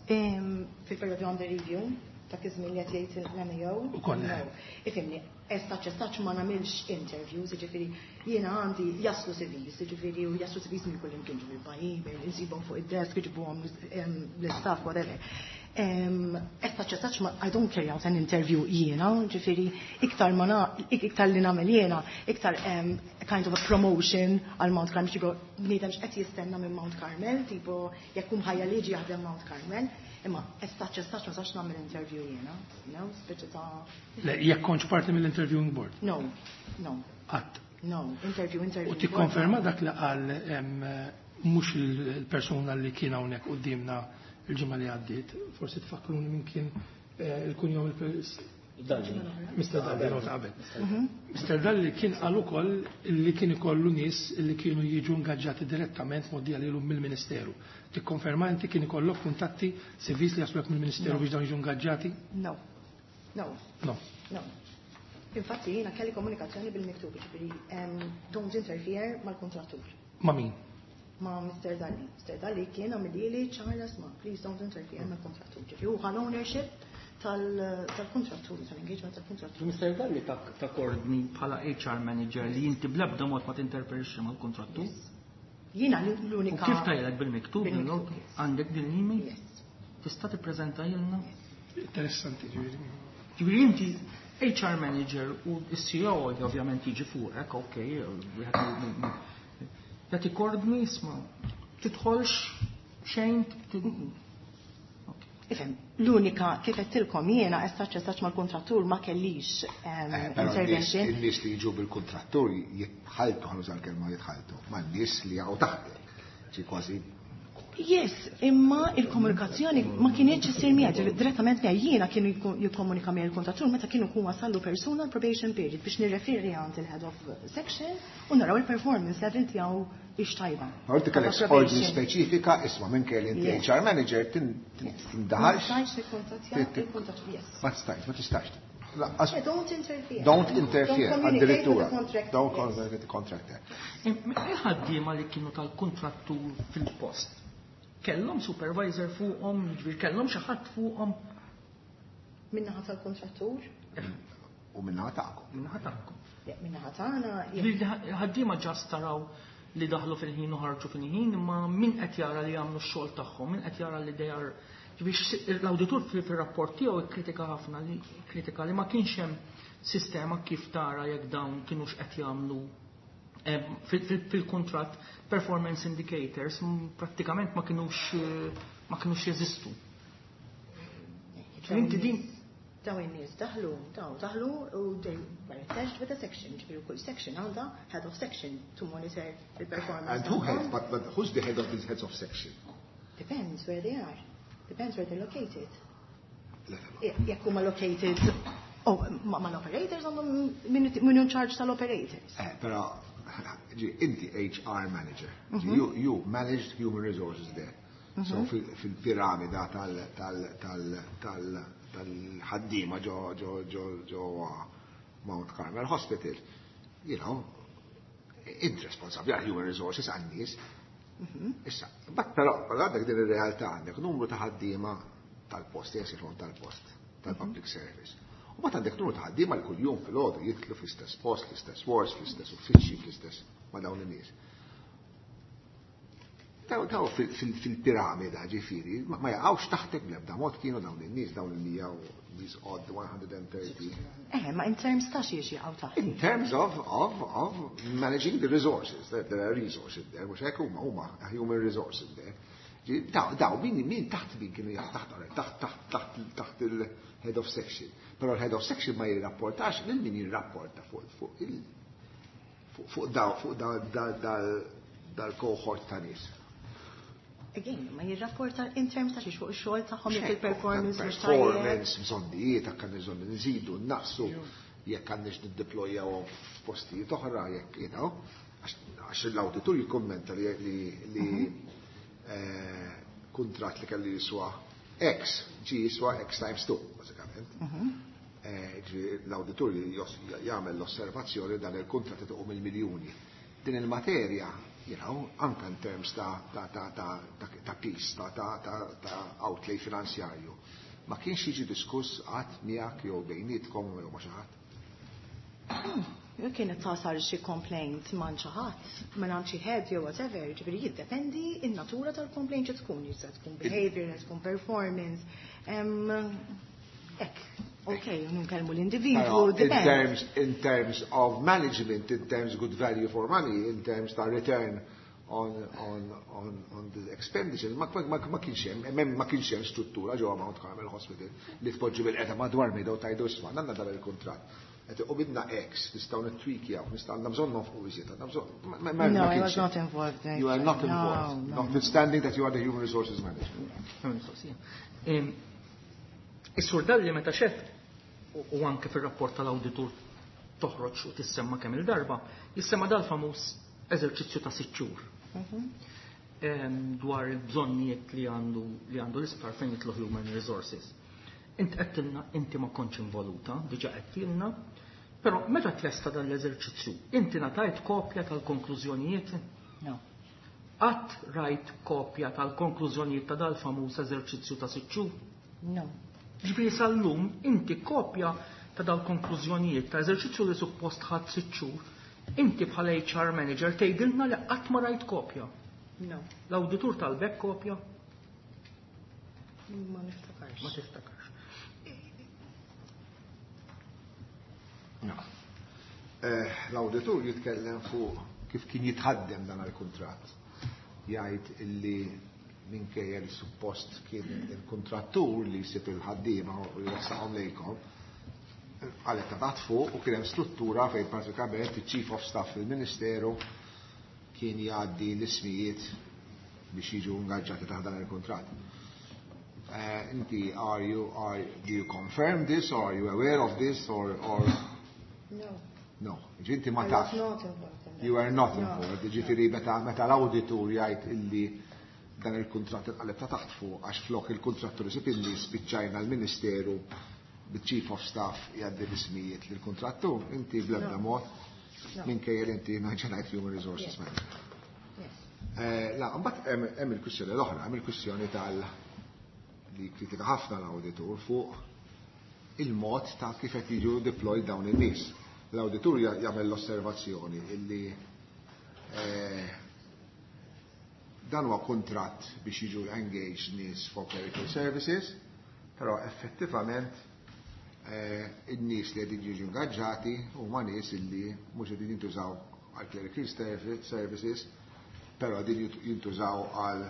[SPEAKER 3] Fil-periodu under review, ta' iż-żmien li qed jgħid l-M A O.
[SPEAKER 6] Ukoll.
[SPEAKER 3] No. Ifhimni, as such as such ma nagħmilx interviews, jiġifieri jiena għandi jaslu C Vs, jiġifieri u jaslu C Vs minn kull imkien, ġifieri by email, insibhom fuq id-desk, iġibuhom l-istaff, whatever. Um, as such as such ma, I don't carry out an interview jiena, ġifieri iktar ma na, iktar li nagħmel jiena, iktar um, kind of a promotion għal Mount Carmel, ġigo bniedem x'qed jistenna minn Mount Carmel, tipo jekk hu ħajja liġi jaħdem Mount Carmel, imma as such as such ma sax nagħmel interview jiena, you know, speċi ta'
[SPEAKER 6] Le, jekk kontx parti mill-interviewing board?
[SPEAKER 3] No, no.
[SPEAKER 6] Qatt.
[SPEAKER 3] No, interview, interview.
[SPEAKER 6] U tikkonferma dak li qal em, mhux il-persuna li kien hawnhekk quddiemna il-ġimgħa li għaddiet, forsi tfakkruni minn kien eh, il-kunjom il
[SPEAKER 4] Dalli.
[SPEAKER 6] Mister Dalli, no, ta' qabel. Mister Dalli kien qal ukoll li kien ikollu nies li kienu jiġu ingaġġati direttament mgħoddija lilhom mill-Ministeru. Tikkonferma inti kien ikollok kuntatti C Vs li jasluk mill-Ministeru
[SPEAKER 3] No.
[SPEAKER 6] biex dawn jiġu ingaġġati?
[SPEAKER 3] No, no.
[SPEAKER 6] No.
[SPEAKER 3] No. Infatti jiena kelli komunikazzjoni bil-miktub, ġifieri um, don't interfere mal-kontrattur.
[SPEAKER 6] Ma' min?
[SPEAKER 3] Ma' Mister Dalli. Mister Dalli kien għamilli ċara, "Isma', please don't interfere mal-kontrattur." Ġifieri hu ħa ownership tal-kontrattur, tal-engagement tal-kontrattur.
[SPEAKER 4] Mister Dalli ta ordni bħala H R manager li inti bl-ebda mod ma tinterferixxi mal-kontrattur?
[SPEAKER 3] Jiena
[SPEAKER 4] U
[SPEAKER 3] l-unika.
[SPEAKER 4] kif tajlek bil-miktub?
[SPEAKER 3] Bil-miktub, yes.
[SPEAKER 4] Għandek din l-email?
[SPEAKER 3] Yes.
[SPEAKER 4] Tista' tippreżentajilna?
[SPEAKER 6] Interessanti, ġifieri.
[SPEAKER 4] Ġifieri inti H R manager u s-C E O li ovvjament jiġi fuqek, ok, wieħed mill- jagħti ordni, "Isma', tidħolx xejn."
[SPEAKER 3] Ifhem, l-unika kif għedtilkom jiena as such as such mal-kontrattur ma kellix um,
[SPEAKER 2] Eh, però n-nies
[SPEAKER 3] intervention.
[SPEAKER 2] In-nies li jiġu bil-kontrattur jitħaltu, ħa nuża l-kelma jitħaltu, ma' n-nies li jaqgħu taħtek. Ġi kważi
[SPEAKER 3] Yes, imma il-komunikazzjoni ma kienx issir miegħi direttament miegħi. Jiena kienu jkun- jikkomunika miegħi il-kontrattur meta kienu jkun wasallu persuna l-probation period biex nirreferi għand il-head of section u naraw il-performance level tiegħu ix tajba.
[SPEAKER 2] Għorti kellek
[SPEAKER 3] Ta'
[SPEAKER 2] ordni
[SPEAKER 3] probation.
[SPEAKER 2] speċifika, isma', minn kelli inti
[SPEAKER 3] Yes.
[SPEAKER 2] H R manager tin- tin- tindaħalx.
[SPEAKER 3] Ma stajtx nikkuntattja il-kontrattur, yes.
[SPEAKER 2] Ma stajt, ma tistax. Laqqas-
[SPEAKER 3] Yeah, don't interfere.
[SPEAKER 2] Don't interfere,
[SPEAKER 3] Don't communicate with
[SPEAKER 2] addirittura.
[SPEAKER 3] the contractor.
[SPEAKER 2] Don't
[SPEAKER 3] Yes.
[SPEAKER 2] communicate with the contractor.
[SPEAKER 4] Il-ħaddiema li kienu tal-kontrattur fil-post, kellhom supervisor fuqhom, jiġifieri kellhom xi ħadd fuqhom?
[SPEAKER 3] Min-naħa tal-kontrattur,
[SPEAKER 2] U min-naħa tagħkom.
[SPEAKER 4] Min-naħa tagħkom.
[SPEAKER 3] Yeah, min-naħa tagħna, yeah.
[SPEAKER 4] Ġifieri ħaddiema just taraw li daħlu fil-ħin u ħarġu fil-ħin, imma min qed jara li jagħmlu x-xogħol tagħhom, min qed jara li they are, ġifieri l-awditur fil-rapport tiegħu ikkritika ħafna li kritika li ma kienx hemm sistema kif tara jekk dawn kienux qed jagħmlu em, fil- fil- fil-kuntratt performance indicators m, prattikament ma kienux eh, ma kienux jeżistu.
[SPEAKER 3] Dawn
[SPEAKER 4] Inti din
[SPEAKER 3] in-nies- Dawn in-nies daħlu, daw daħlu u they were attached with a section, ġifieri kull section għandha head of section to monitor the performance.
[SPEAKER 2] And who
[SPEAKER 3] tagħhom.
[SPEAKER 2] heads, but, but who's the head of these heads of section?
[SPEAKER 3] Depends where they are. Depends where they're located. Jekk huma located, oh, ma mal-operators għandhom min min in charge tal-operators.
[SPEAKER 2] Eh, però, ġi, inti H R manager. Ġi, You, you managed human resources there. So fil- fil-piramida tal tal tal tal tal-ħaddiema ġo ġo ġo ġo Mount Carmel Hospital, you know, int responsabbli għal human resources għan-nies. Issa, but però, però għandek din ir-realtà, għandek numru ta' ħaddiema tal-post, jesifon tal-post, tal-public service. U mbagħad għandek numru ta' ħaddiema li kuljum filgħodu jidħlu fl-istess post, fl-istess wards, fl-istess uffiċċji, fl-istess ma' dawn in-nies. Daw daw fil- fil- fil-piramida ġifieri, ma ma jaqgħux taħtek bl-ebda mod kienu dawn in-nies, dawn il-mija u these odd one hundred thirty?
[SPEAKER 3] Eh, ma in terms ta' xiex jaqgħu taħt.
[SPEAKER 2] In terms of, of, of managing the resources, there, there are resources there, mhux hekk, huma huma human resources there. Ġi, Daw, daw, min, min taħt min kienu jaqgħu taħt, taħt, taħt, taħt, taħt il-head of section. Però il-head of section ma jirrapportax lil min jirrapporta fuq fuq il fuq fuq daw fuq daw dal dal cohort ta' nies.
[SPEAKER 3] Again, ma jirrapporta in terms ta' xiex, fuq ix-xogħol tagħhom, jekk il-performance mhux tajjeb.
[SPEAKER 2] Performance, bżonnijiet, jekk għandna bżonn nżidu, naqsu, jekk għandniex niddeployjawhom f'postijiet oħra, jekk, you know. Għax l-awditur jikkommenta li li eh, kuntratt li kelli jiswa X ġi jiswa X times two, bażikament. Eh, ġi L-awditur jos- jagħmel l-osservazzjoni dan il-kuntratt iqum il-miljuni. Din il-materja, you know, anka in terms ta' ta' ta' ta' ta' ta' piece, ta' ta' ta' ta' outlay finanzjarju. Ma kienx jiġi diskuss qatt miegħek jew bejnietkom jew ma' xi ħadd.
[SPEAKER 3] Jew kienet tasal xi complaint ma' xi ħadd, minn xi head jew whatever, ġifieri jiddependi in-natura tal-complaint xi tkun, jista' tkun behavior, tkun performance. Em, Ek, ok, nkellmu l-individwu,
[SPEAKER 2] Però in
[SPEAKER 3] depends.
[SPEAKER 2] terms, in terms of management, in terms good value for money, in terms ta' return on, on, on, on the expenditure, ma, ma, ma, ma kienx hemm, hemm ma kienx hemm struttura ġewwa Mount Carmel Hospital li tpoġġi bil-qeda madwar mejda u tgħidu isma' għandna dan il-kuntratt. Qed iqubidna X, nistgħu nittwikjaw, nistgħu għandna bżonn nonfqu iżjed, għandna bżonn. ma- ma- ma
[SPEAKER 3] No, I
[SPEAKER 2] kienx
[SPEAKER 3] was
[SPEAKER 2] hemm.
[SPEAKER 3] not involved.
[SPEAKER 2] You are not
[SPEAKER 3] No,
[SPEAKER 2] involved,
[SPEAKER 3] no.
[SPEAKER 2] notwithstanding that you are the human resources manager.
[SPEAKER 4] Mistoqsija. Em, Is-sur Dalli meta xef u u anke fir-rapport tal-awditur toħroġ u tissemma kemm il-darba, jissemma dal-famuż eżerċizzju ta' sitt xhur. Em, dwar il-bżonnijiet li għandu li għandu l-isptar fejn jidħlu human resources. Int għedtilna inti ma kontx involuta, diġà għedtilna, però meta tlesta dan l-eżerċizzju, inti ngħatajt kopja tal-konklużjonijiet?
[SPEAKER 3] No.
[SPEAKER 4] Qatt rajt kopja tal-konklużjonijiet ta' dal-famuż eżerċizzju ta' sitt xhur?
[SPEAKER 3] No.
[SPEAKER 4] Ġifieri sal-lum inti kopja ta' dal-konklużjonijiet ta' eżerċizzju li suppost ħadd sitt xhur, inti bħala H R manager tgħidilna li qatt ma rajt kopja.
[SPEAKER 3] No.
[SPEAKER 4] L-awditur talbek kopja?
[SPEAKER 3] Ma niftakarx.
[SPEAKER 4] Ma tiftakarx.
[SPEAKER 2] No. Eh, L-awditur jitkellem fuq kif kien jitħaddem dan il-kuntratt. Jgħid illi minkejja li suppost kien il-kontrattur li jsib il-ħaddiema u jressaqhom lejkom, għalet ta' taħt fuq u kien hemm struttura fejn pratikament il-Chief of Staff fil-Ministeru kien jgħaddi l-ismijiet biex jiġu ingaġġati taħt dan il-kuntratt. Uh, inti, are you, are, do you confirm this or are you aware of this or, or
[SPEAKER 3] No.
[SPEAKER 2] No? Ġinti ma
[SPEAKER 3] I was
[SPEAKER 2] tafx.
[SPEAKER 3] not involved in that.
[SPEAKER 2] You are not
[SPEAKER 3] No.
[SPEAKER 2] involved. Ġifieri meta meta l-awditur jgħid illi dan il-kuntratt inqaleb ta' taħt fuq għax flok il-kontrattur isib illi spiċċajna l-Ministeru bit-Chief of Staff jgħaddi l-ismijiet lill-kontrattur, inti bl-ebda
[SPEAKER 3] No.
[SPEAKER 2] mod
[SPEAKER 3] No.
[SPEAKER 2] minkejja li inti naġenajt human resources
[SPEAKER 3] Yes.
[SPEAKER 2] manager.
[SPEAKER 3] Yes.
[SPEAKER 2] Eh, La, mbagħad hemm hemm il-kwistjoni l-oħra, hemm il-kwistjoni tal li kritika ħafna l-awditur fuq il-mod ta' kif qed jiġu deployed dawn in-nies. L-awditur ja- jagħmel l-osservazzjoni illi eh, dan huwa kuntratt biex jiġu engaged nies for clerical services, però effettivament eh, in-nies li qegħdin jiġu ingaġġati huma nies illi mhux qegħdin jintużaw għal clerical servi- services, però qegħdin jintużaw għal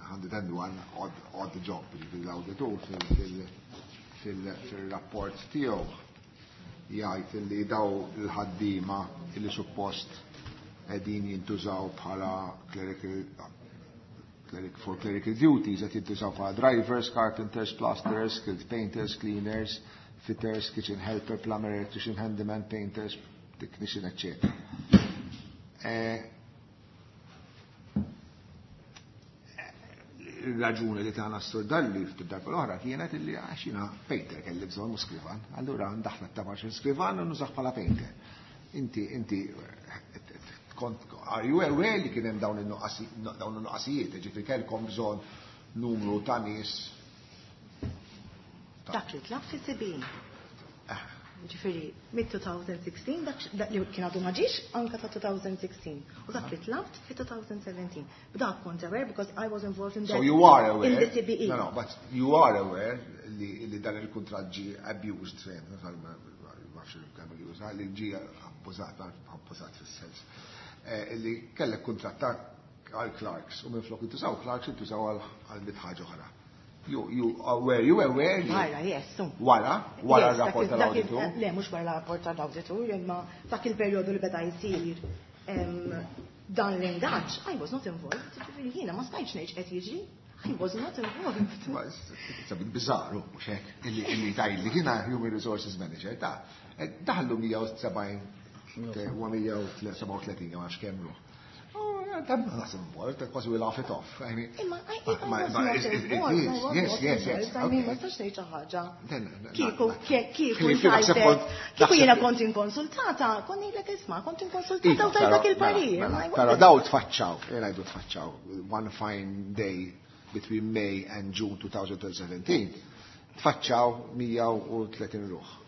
[SPEAKER 2] one hundred and one odd, odd job, ġifieri l-awditur fil-rapport tiegħu jgħid li daw il-ħaddiema illi suppost qegħdin jintużaw bħala clerical cleric, for clerical duties qed jintużaw bħala drivers, carpenters, plasterers, skilled painters, cleaners, fitters, kitchen helper, plumber, electrician, handyman, painters, technician, et cetera. Eh, il-raġuni li tana s-sur Dalli ftit darba l-oħra kienet illi għax jiena painter kelli bżonn mhux skrivan. Allura ndaħla t-tabax skrivan u nużah bħala painter. Inti, inti, kont, are you aware li kien hemm dawn il-nuqqasijiet, ġifieri kellkom bżonn numru ta' nies?
[SPEAKER 3] Dak li tlab fi C B E. Ġifieri, mid-twenty sixteen, dak dak li kien għadu ma ġiex anka ta' twenty sixteen. U dak li tlabt fi twenty seventeen. B'dak kont aware because I was involved in
[SPEAKER 2] So
[SPEAKER 3] that.
[SPEAKER 2] You are aware.
[SPEAKER 3] In the C B E.
[SPEAKER 2] No, no, but you are aware li, li dan il-kuntratt ġi abused, ma nafx il-kemm li juża, li ġi abbużat, abbużat fis-sens. Eh, Li kellek kuntratt ta' għal clerks u minn flok intużaw clerks intużaw għal mitt ħaġa oħra. You, you, uh, were you aware li
[SPEAKER 3] Wara, yes. so.
[SPEAKER 2] Wara, wara
[SPEAKER 3] Yes,
[SPEAKER 2] r-rapport
[SPEAKER 3] dak il- dak il-
[SPEAKER 2] tal-awditur?
[SPEAKER 3] Le, mhux wara l-rapport tal-awditur, imma dak il-perjodu li beda jsir em, dan l-ingaġġ, I was not involved, ġifieri jiena ma stajtx ngħid qed jiġri. I was not involved.
[SPEAKER 2] Ma, it's a bit bizzarru, mhux hekk, illi illi tajli jiena Human Resources Manager, ta' eh, daħlu mija u sebgħin u mija u sebgħa u tletin, ma nafx kemm ruħ. I'm not involved, because we laugh it off. I mean,
[SPEAKER 3] Imma, I was not involved.
[SPEAKER 2] Yes, yes, yes.
[SPEAKER 3] I mean, ma tistax tgħid xi ħaġa. Kieku, kieku, kieku jiena kont inkonsultata, kont ngħidlek isma', kont inkonsultata u tajt dak il-parir.
[SPEAKER 2] Però daw tfaċċaw, jgħidu tfaċċaw, one fine day between May and June twenty seventeen, tfaċċaw mija u tletin ruħ.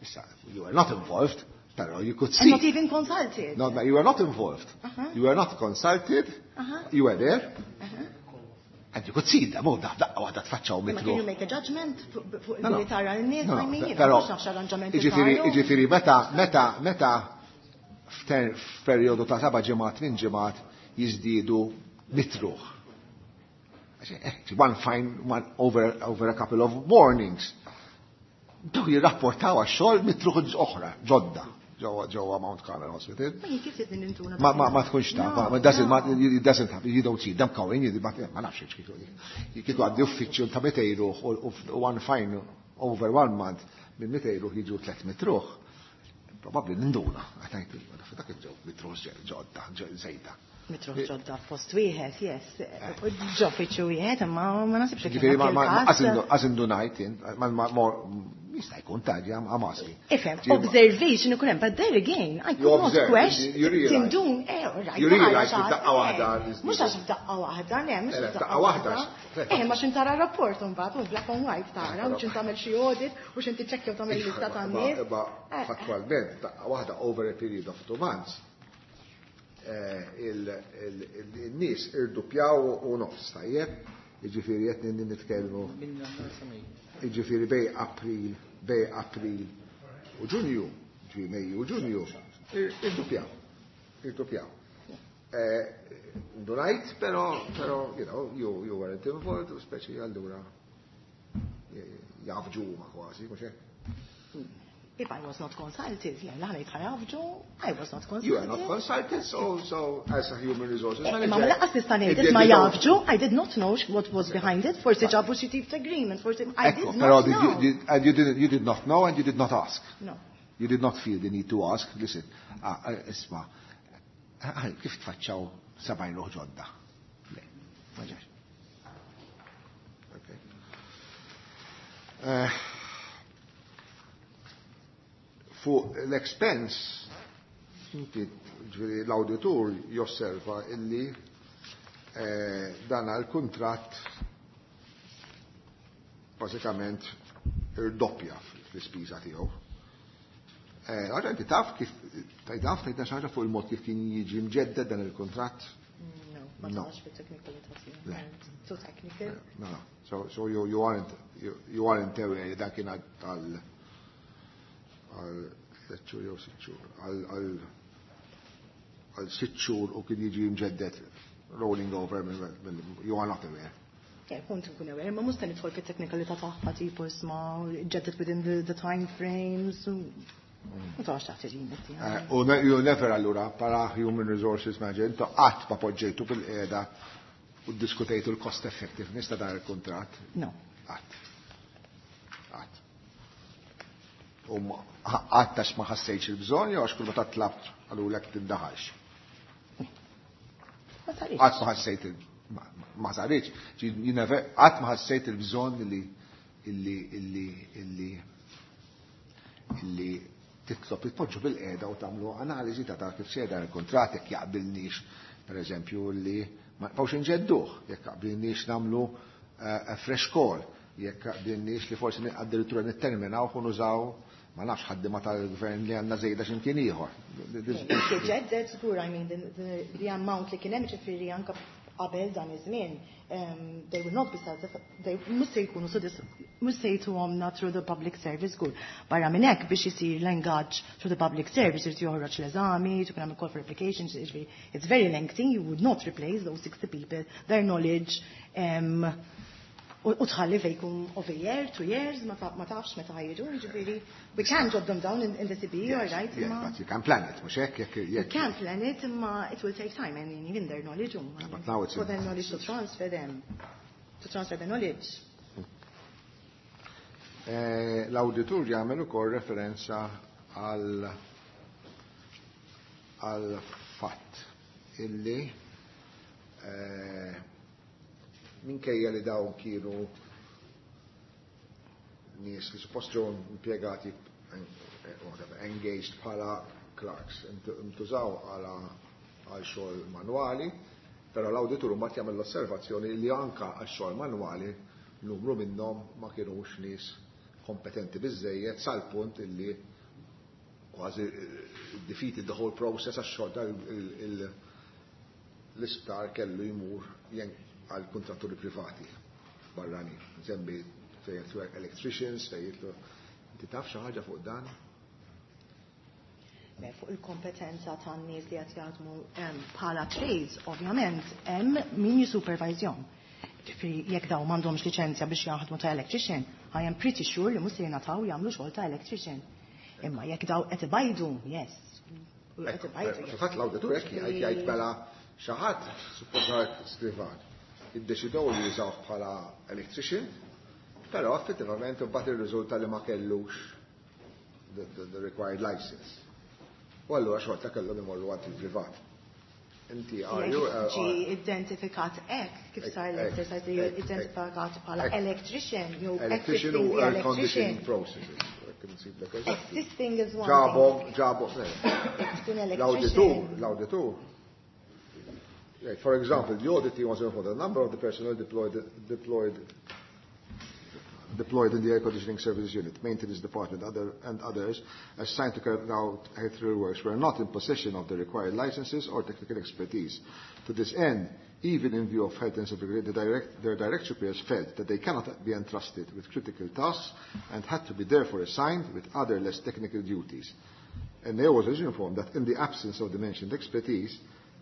[SPEAKER 2] Issa, you were not involved, pero you could see.
[SPEAKER 3] And not even consulted.
[SPEAKER 2] No, you were not involved.
[SPEAKER 3] Uh-huh.
[SPEAKER 2] You were not consulted.
[SPEAKER 3] Uh-huh.
[SPEAKER 2] You were there.
[SPEAKER 3] Uh-huh.
[SPEAKER 2] And you could see them. Oh, daqqa waħda tfaċċaw
[SPEAKER 3] Ma
[SPEAKER 2] mitru.
[SPEAKER 3] can you make a judgment fuq li tara n-nies, I mean,
[SPEAKER 2] Però,
[SPEAKER 3] mhux nafx arranġamenti
[SPEAKER 2] Iġifieri,
[SPEAKER 3] saru.
[SPEAKER 2] iġifieri, meta, meta, meta f'perjodu ta' seba' ġimgħat, tmien ġimgħat jiżdiedu mitruħ. One fine, one over, over a couple of mornings. Daw jirrapportaw għax-xogħol mitruħ oħra, ġodda, ġewwa Mount Carmel Hospital.
[SPEAKER 3] Ma jien kif tidni nintuna
[SPEAKER 2] Ma ma ma tkunx taf, ma doesn't ma it doesn't happen, you don't see them coming, you ma ma nafx kieku. Kieku għaddi uffiċċju ta' mitejn ruħ u one fine over one month minn mitejn ruħ jiġu tliet mitt ruħ. Probabbli ninduna, għatajt, dak ġew mitruħ ġodda, żejda.
[SPEAKER 3] Mitruħ ġodda fost wieħed, yes. Ġo uffiċċju wieħed, imma ma nasibx li kien
[SPEAKER 2] Ġifieri ma
[SPEAKER 3] dak
[SPEAKER 2] ma
[SPEAKER 3] il-każ.
[SPEAKER 2] għażindu ngħid, ma ma jista' jkun taġi I'm asking.
[SPEAKER 3] Ifhem, observation ikun hemm, but there again, I
[SPEAKER 2] You
[SPEAKER 3] could not
[SPEAKER 2] observe,
[SPEAKER 3] question.
[SPEAKER 2] you realize.
[SPEAKER 3] Tindun, eh, all right.
[SPEAKER 2] You realize
[SPEAKER 3] tara
[SPEAKER 2] li f'daqqa
[SPEAKER 3] xi
[SPEAKER 2] waħda
[SPEAKER 3] ħaġa, eh. Mhux għax f'daqqa waħda, le, mhux
[SPEAKER 2] Eh,
[SPEAKER 3] f'daqqa
[SPEAKER 2] f'daqqa waħda,
[SPEAKER 3] waħda. Eh, ma x'in tara rapport imbagħad, u black and white tara, u x'in tagħmel xi audit, u x'in tiċċekkja u tagħmel lista tan-nies.
[SPEAKER 2] Imma
[SPEAKER 3] Eh, eh.
[SPEAKER 2] fattwalment, daqqa waħda over a period of two months, eh, il-nies irduppjaw u nofs, tajjeb, jiġifieri qed nitkellmu, jiġifieri bej April, bej April u Ġunju, ġifieri Mejju u Ġunju, irduppjaw, irduppjaw. Ndunajt, pero, pero, you know, you, you weren't involved, u speċi allura jafġu ma kważi, mhux hekk?
[SPEAKER 3] If I was not consulted, le, la ħanejt ħajafġu, I was not consulted.
[SPEAKER 2] You are not consulted, so, so as a human resources
[SPEAKER 3] Eh,
[SPEAKER 2] manager.
[SPEAKER 3] Ma ma lanqas nista' ngħid
[SPEAKER 2] it
[SPEAKER 3] ma
[SPEAKER 2] did-
[SPEAKER 3] jafġu, I did not know what was behind it, forsi ġabu xi tip ta' agreement, forsi I
[SPEAKER 2] Ekko,
[SPEAKER 3] did
[SPEAKER 2] però
[SPEAKER 3] not
[SPEAKER 2] did you,
[SPEAKER 3] know.
[SPEAKER 2] did, and you didn't, you did not know and you did not ask.
[SPEAKER 3] No.
[SPEAKER 2] You did not feel the need to ask. Listen, ah, ah, isma, ah, kif tfaċċaw sebgħin ruħ ġodda? Le, ma ġax. Okay. Eh, Fuq l-expense, inti, ġifieri l-auditur josserva illi eh, dan għal-kuntratt bażikament irdoppja fl-ispiża tiegħu. Eh, Għaxa inti taf kif, taf tgħidna xi ħaġa fuq il-mod kif kien jiġi mġedded dan il-kuntratt?
[SPEAKER 3] No, ma
[SPEAKER 2] No.
[SPEAKER 3] tafx fit-teknikalità tiegħu.
[SPEAKER 2] Le.
[SPEAKER 3] Too technical.
[SPEAKER 2] No, no. So, so you, you aren't, you, you aren't aware dan kien għal għal tliet xhur jew sitt xhur, għal għal għal sitt xhur u kien jiġi mġedded rolling over, mill- mill- you are not aware.
[SPEAKER 3] Yeah, kont nkun aware, ma mhux se nidħol fit-teknikalità tagħha tipo isma' ġeddet within the, the time frames. u- Ma tafx taħt ir-remit tiegħi.
[SPEAKER 2] Eh, U ne- you never allura para human resources manager, intu qatt ma poġġejtu bil-qiegħda u ddiskutejtu l-cost effectiveness ta' dan il-kuntratt.
[SPEAKER 3] No.
[SPEAKER 2] Qatt. Qatt. U ma- qatt għax ma ħassejtx il-bżonn jew għax kull meta tlabt qalulek tindaħalx.
[SPEAKER 3] Ma saritx.
[SPEAKER 2] Qatt ma ħassejt il- ma- ma saritx. Ġi, you never- Qatt ma ħassejt il-bżonn illi illi illi illi illi titlob titpoġġu bil-qiegħda u tagħmlu analiżi ta' ta' kif sejjer dan il-kuntratt jekk jaqbilniex pereżempju li ma nibqgħux inġedduh, jekk jaqbilniex nagħmlu eh, a fresh call, jekk jaqbilniex li forsi addirittura nitterminaw u nużaw ma nafx ħaddiema tal-gvern li għandna żejda x'imkien ieħor.
[SPEAKER 3] Ġeddet żgur, I mean, the, the, the amount li kien hemm ġifieri anke qabel dan iż-żmien, um, they will not be satisfied, they mhux se jkunu sodis, mhux se jtuhomna through the public service żgur. Barra minn hekk biex isir l-engage through the public service irid joħroġ l-eżami, tkun hemm call for applications, jiġifieri it's very lengthy, you would not replace those sixty people, their knowledge, um, u u tħalli vacuum of a year, two years, ma ta- ma tafx meta ħajġu, jiġifieri we can jot them down in, in the C B, all right,
[SPEAKER 2] Yes,
[SPEAKER 3] imma
[SPEAKER 2] but you can plan it, mhux hekk jekk
[SPEAKER 3] you
[SPEAKER 2] jekk
[SPEAKER 3] can plan it, imma it will take time, and even their knowledge, um,
[SPEAKER 2] But now it's
[SPEAKER 3] for
[SPEAKER 2] in-
[SPEAKER 3] their knowledge to transfer them, to transfer the knowledge.
[SPEAKER 2] Eh, L-auditur jagħmel ukoll referenza għal għal fatt illi eh, minkejja li dawn kienu nies li suppost ġew impjegati eh, whatever, engaged bħala clerks, intużaw għala għal xogħol manwali, però l-awditur mbagħad jagħmel l-osservazzjoni li anka għal xogħol manwali numru minnhom ma kienux nies kompetenti biżejjed sal-punt illi kważi eh, defeated the whole process għax xorta l-isptar kellu jmur għal kontratturi privati barrani. Nsemmi fejn jidħlu electricians, fejn jidħlu. Inti taf xi ħaġa fuq dan?
[SPEAKER 3] Le, fuq il-kompetenza tan nies li qed jaħdmu bħala trades, ovvjament, hemm min jisupervizjom. Ġifieri jekk dawn m'għandhomx liċenzja biex jaħdmu ta' electrician, I am pretty sure li mhux se jingħataw jagħmlu xogħol ta' electrician. Imma jekk daw qed ibajdu, yes. Qed ibajdu. yes.
[SPEAKER 2] Fil-fatt l-awditur hekk jgħid jgħid mela xi ħadd suppost skrivan. Iddeċidew li jużawh bħala electrician, però effettivament imbagħad irriżulta li ma kellux the, the, the required license. U allura xorta kellhom imorru għand il-privat. Inti are you
[SPEAKER 3] Jekk ġi identifikat hekk, kif sar l-exercise li identifikat bħala electrician, jew
[SPEAKER 2] electrician u
[SPEAKER 3] assisting the
[SPEAKER 2] air conditioning
[SPEAKER 3] electrician.
[SPEAKER 2] processes. Jekk insib lek eżatti.
[SPEAKER 3] Assisting is one
[SPEAKER 2] Ġabhom,
[SPEAKER 3] thing.
[SPEAKER 2] ġabhom,
[SPEAKER 3] Jekk tkun
[SPEAKER 2] L-awditur,
[SPEAKER 3] electrician.
[SPEAKER 2] l-awditur. Right, For example, the audit team was informed the number of the personnel deployed, deployed, deployed in the air conditioning services unit, maintenance department, other, and others assigned to carry out electrical works were not in possession of the required licenses or technical expertise. To this end, even in view of health and safety, the direct, their direct superiors felt that they cannot be entrusted with critical tasks and had to be therefore assigned with other less technical duties. And they was also informed that in the absence of the mentioned expertise,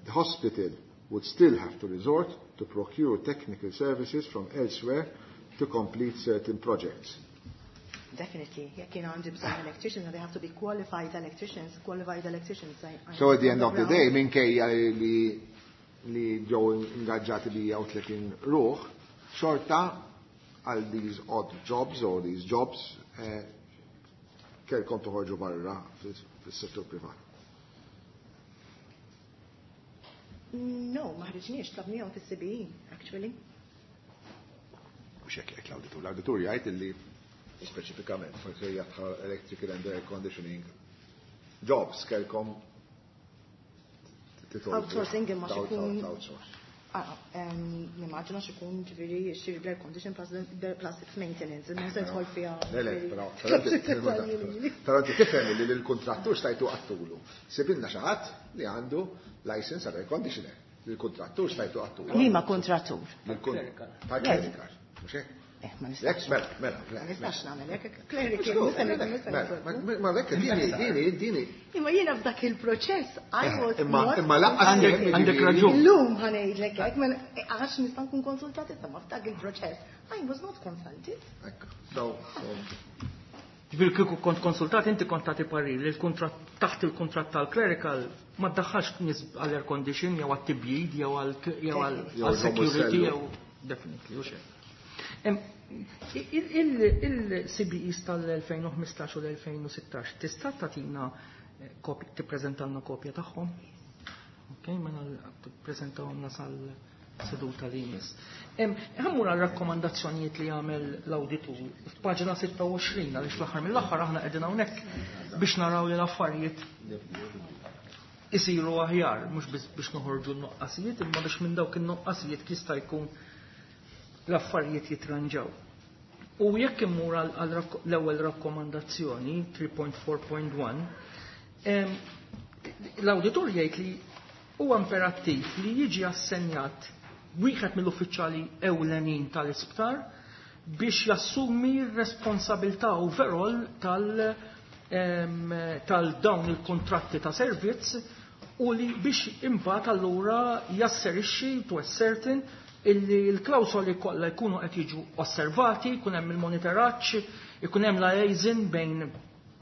[SPEAKER 2] the hospital would still have to resort to procure technical services from elsewhere to complete certain projects.
[SPEAKER 3] Definitely. Jekk jien għandi bżonn electricians, they have to be qualified electricians, qualified electricians. I, I
[SPEAKER 2] So at the end of the
[SPEAKER 3] ground.
[SPEAKER 2] day, minkejja li li ġew ingaġġati mija u tletin ruħ, xorta għal these odd jobs or these jobs eh, kellkom toħorġu barra fis-settur privat.
[SPEAKER 3] No, ma ħriġniex, tlabnihom fis-C B E, actually.
[SPEAKER 2] Mhux hekk jgħid l-awditur. L-awditur jgħid illi speċifikament forsi jadħal electrical and air conditioning jobs kellkom titolbu.
[SPEAKER 3] Outsourcing imma xikun-
[SPEAKER 2] Outsource.
[SPEAKER 3] Ah, em, Nimmaġina xikun ġifieri xiri air condition plus, the- plus its maintenance, imma se tħol fiha.
[SPEAKER 2] Le, le, però, però inti- però inti tifhem li l-kontrattur stajtu għedtulu. Sibilna xi ħadd li għandu license għal air conditioner. Il-kontrattur stajtu għedtulu.
[SPEAKER 3] Liema kontrattur?
[SPEAKER 2] Tal-clerical. Mhux hekk?
[SPEAKER 3] Eh, ma
[SPEAKER 2] Lek,
[SPEAKER 3] nistax.
[SPEAKER 2] mela, mela,
[SPEAKER 3] Ma
[SPEAKER 2] mela.
[SPEAKER 3] nistax nagħmel hekk, clerical, nista' nista'
[SPEAKER 2] Mela, ma lekk dini, dini, dini.
[SPEAKER 3] Imma jiena f'dak il-proċess, I was
[SPEAKER 2] Imma,
[SPEAKER 3] not
[SPEAKER 2] imma lanqas
[SPEAKER 4] Għandek- għandek raġun.
[SPEAKER 3] Illum ħa ngħidlek hekk, ma għax nista' nkun konsultat issa, ma f'dak il-proċess I was not consulted.
[SPEAKER 2] Ekku, so, so,
[SPEAKER 4] Ġifieri kieku kont konsultat, inti kont tagħti parir li l-kuntratt taħt il-kuntratt tal-clerical ma ddaħħalx nies għall-air condition jew għat-tibjid jew għal jew għal
[SPEAKER 2] Jew
[SPEAKER 4] għal security
[SPEAKER 2] jew
[SPEAKER 4] jew definitely u xejn. Em, Il-C B Es tal-elfejn u ħmistax u l-elfejn u sittax tista' tagħtina eh, kopja, tippreżentalna kopja tagħhom? Ok, mela tippreżentawhomna sal-seduta li jmiss. Ħa mmur għal rakkomandazzjonijiet li jagħmel l-awditur f'paġna sitta u għoxrin, għaliex fl-aħħar mill-aħħar aħna qegħdin hawnhekk biex naraw li l-affarijiet isiru aħjar, mhux biss biex noħorġu n-noqqasijiet, imma biex minn dawk in-noqqasijiet jista' jkun l-affarijiet jitranġaw. U jekk immur għal għal rakko- l-ewwel rakkomandazzjoni tlieta punt erbgħa punt wieħed, em, l-awditur jgħid li huwa imperattiv li jiġi assenjat wieħed mill-uffiċjali ewlenin tal-isptar biex jassumi r-responsabilità overall tal em, tal dawn il-kontratti ta' servizz u li biex imbagħad allura jasserixxi to ascertain illi l-klawsoli kollha jkunu qed jiġu osservati, jkun hemm il-monitoraġġ, ikun hemm liaison bejn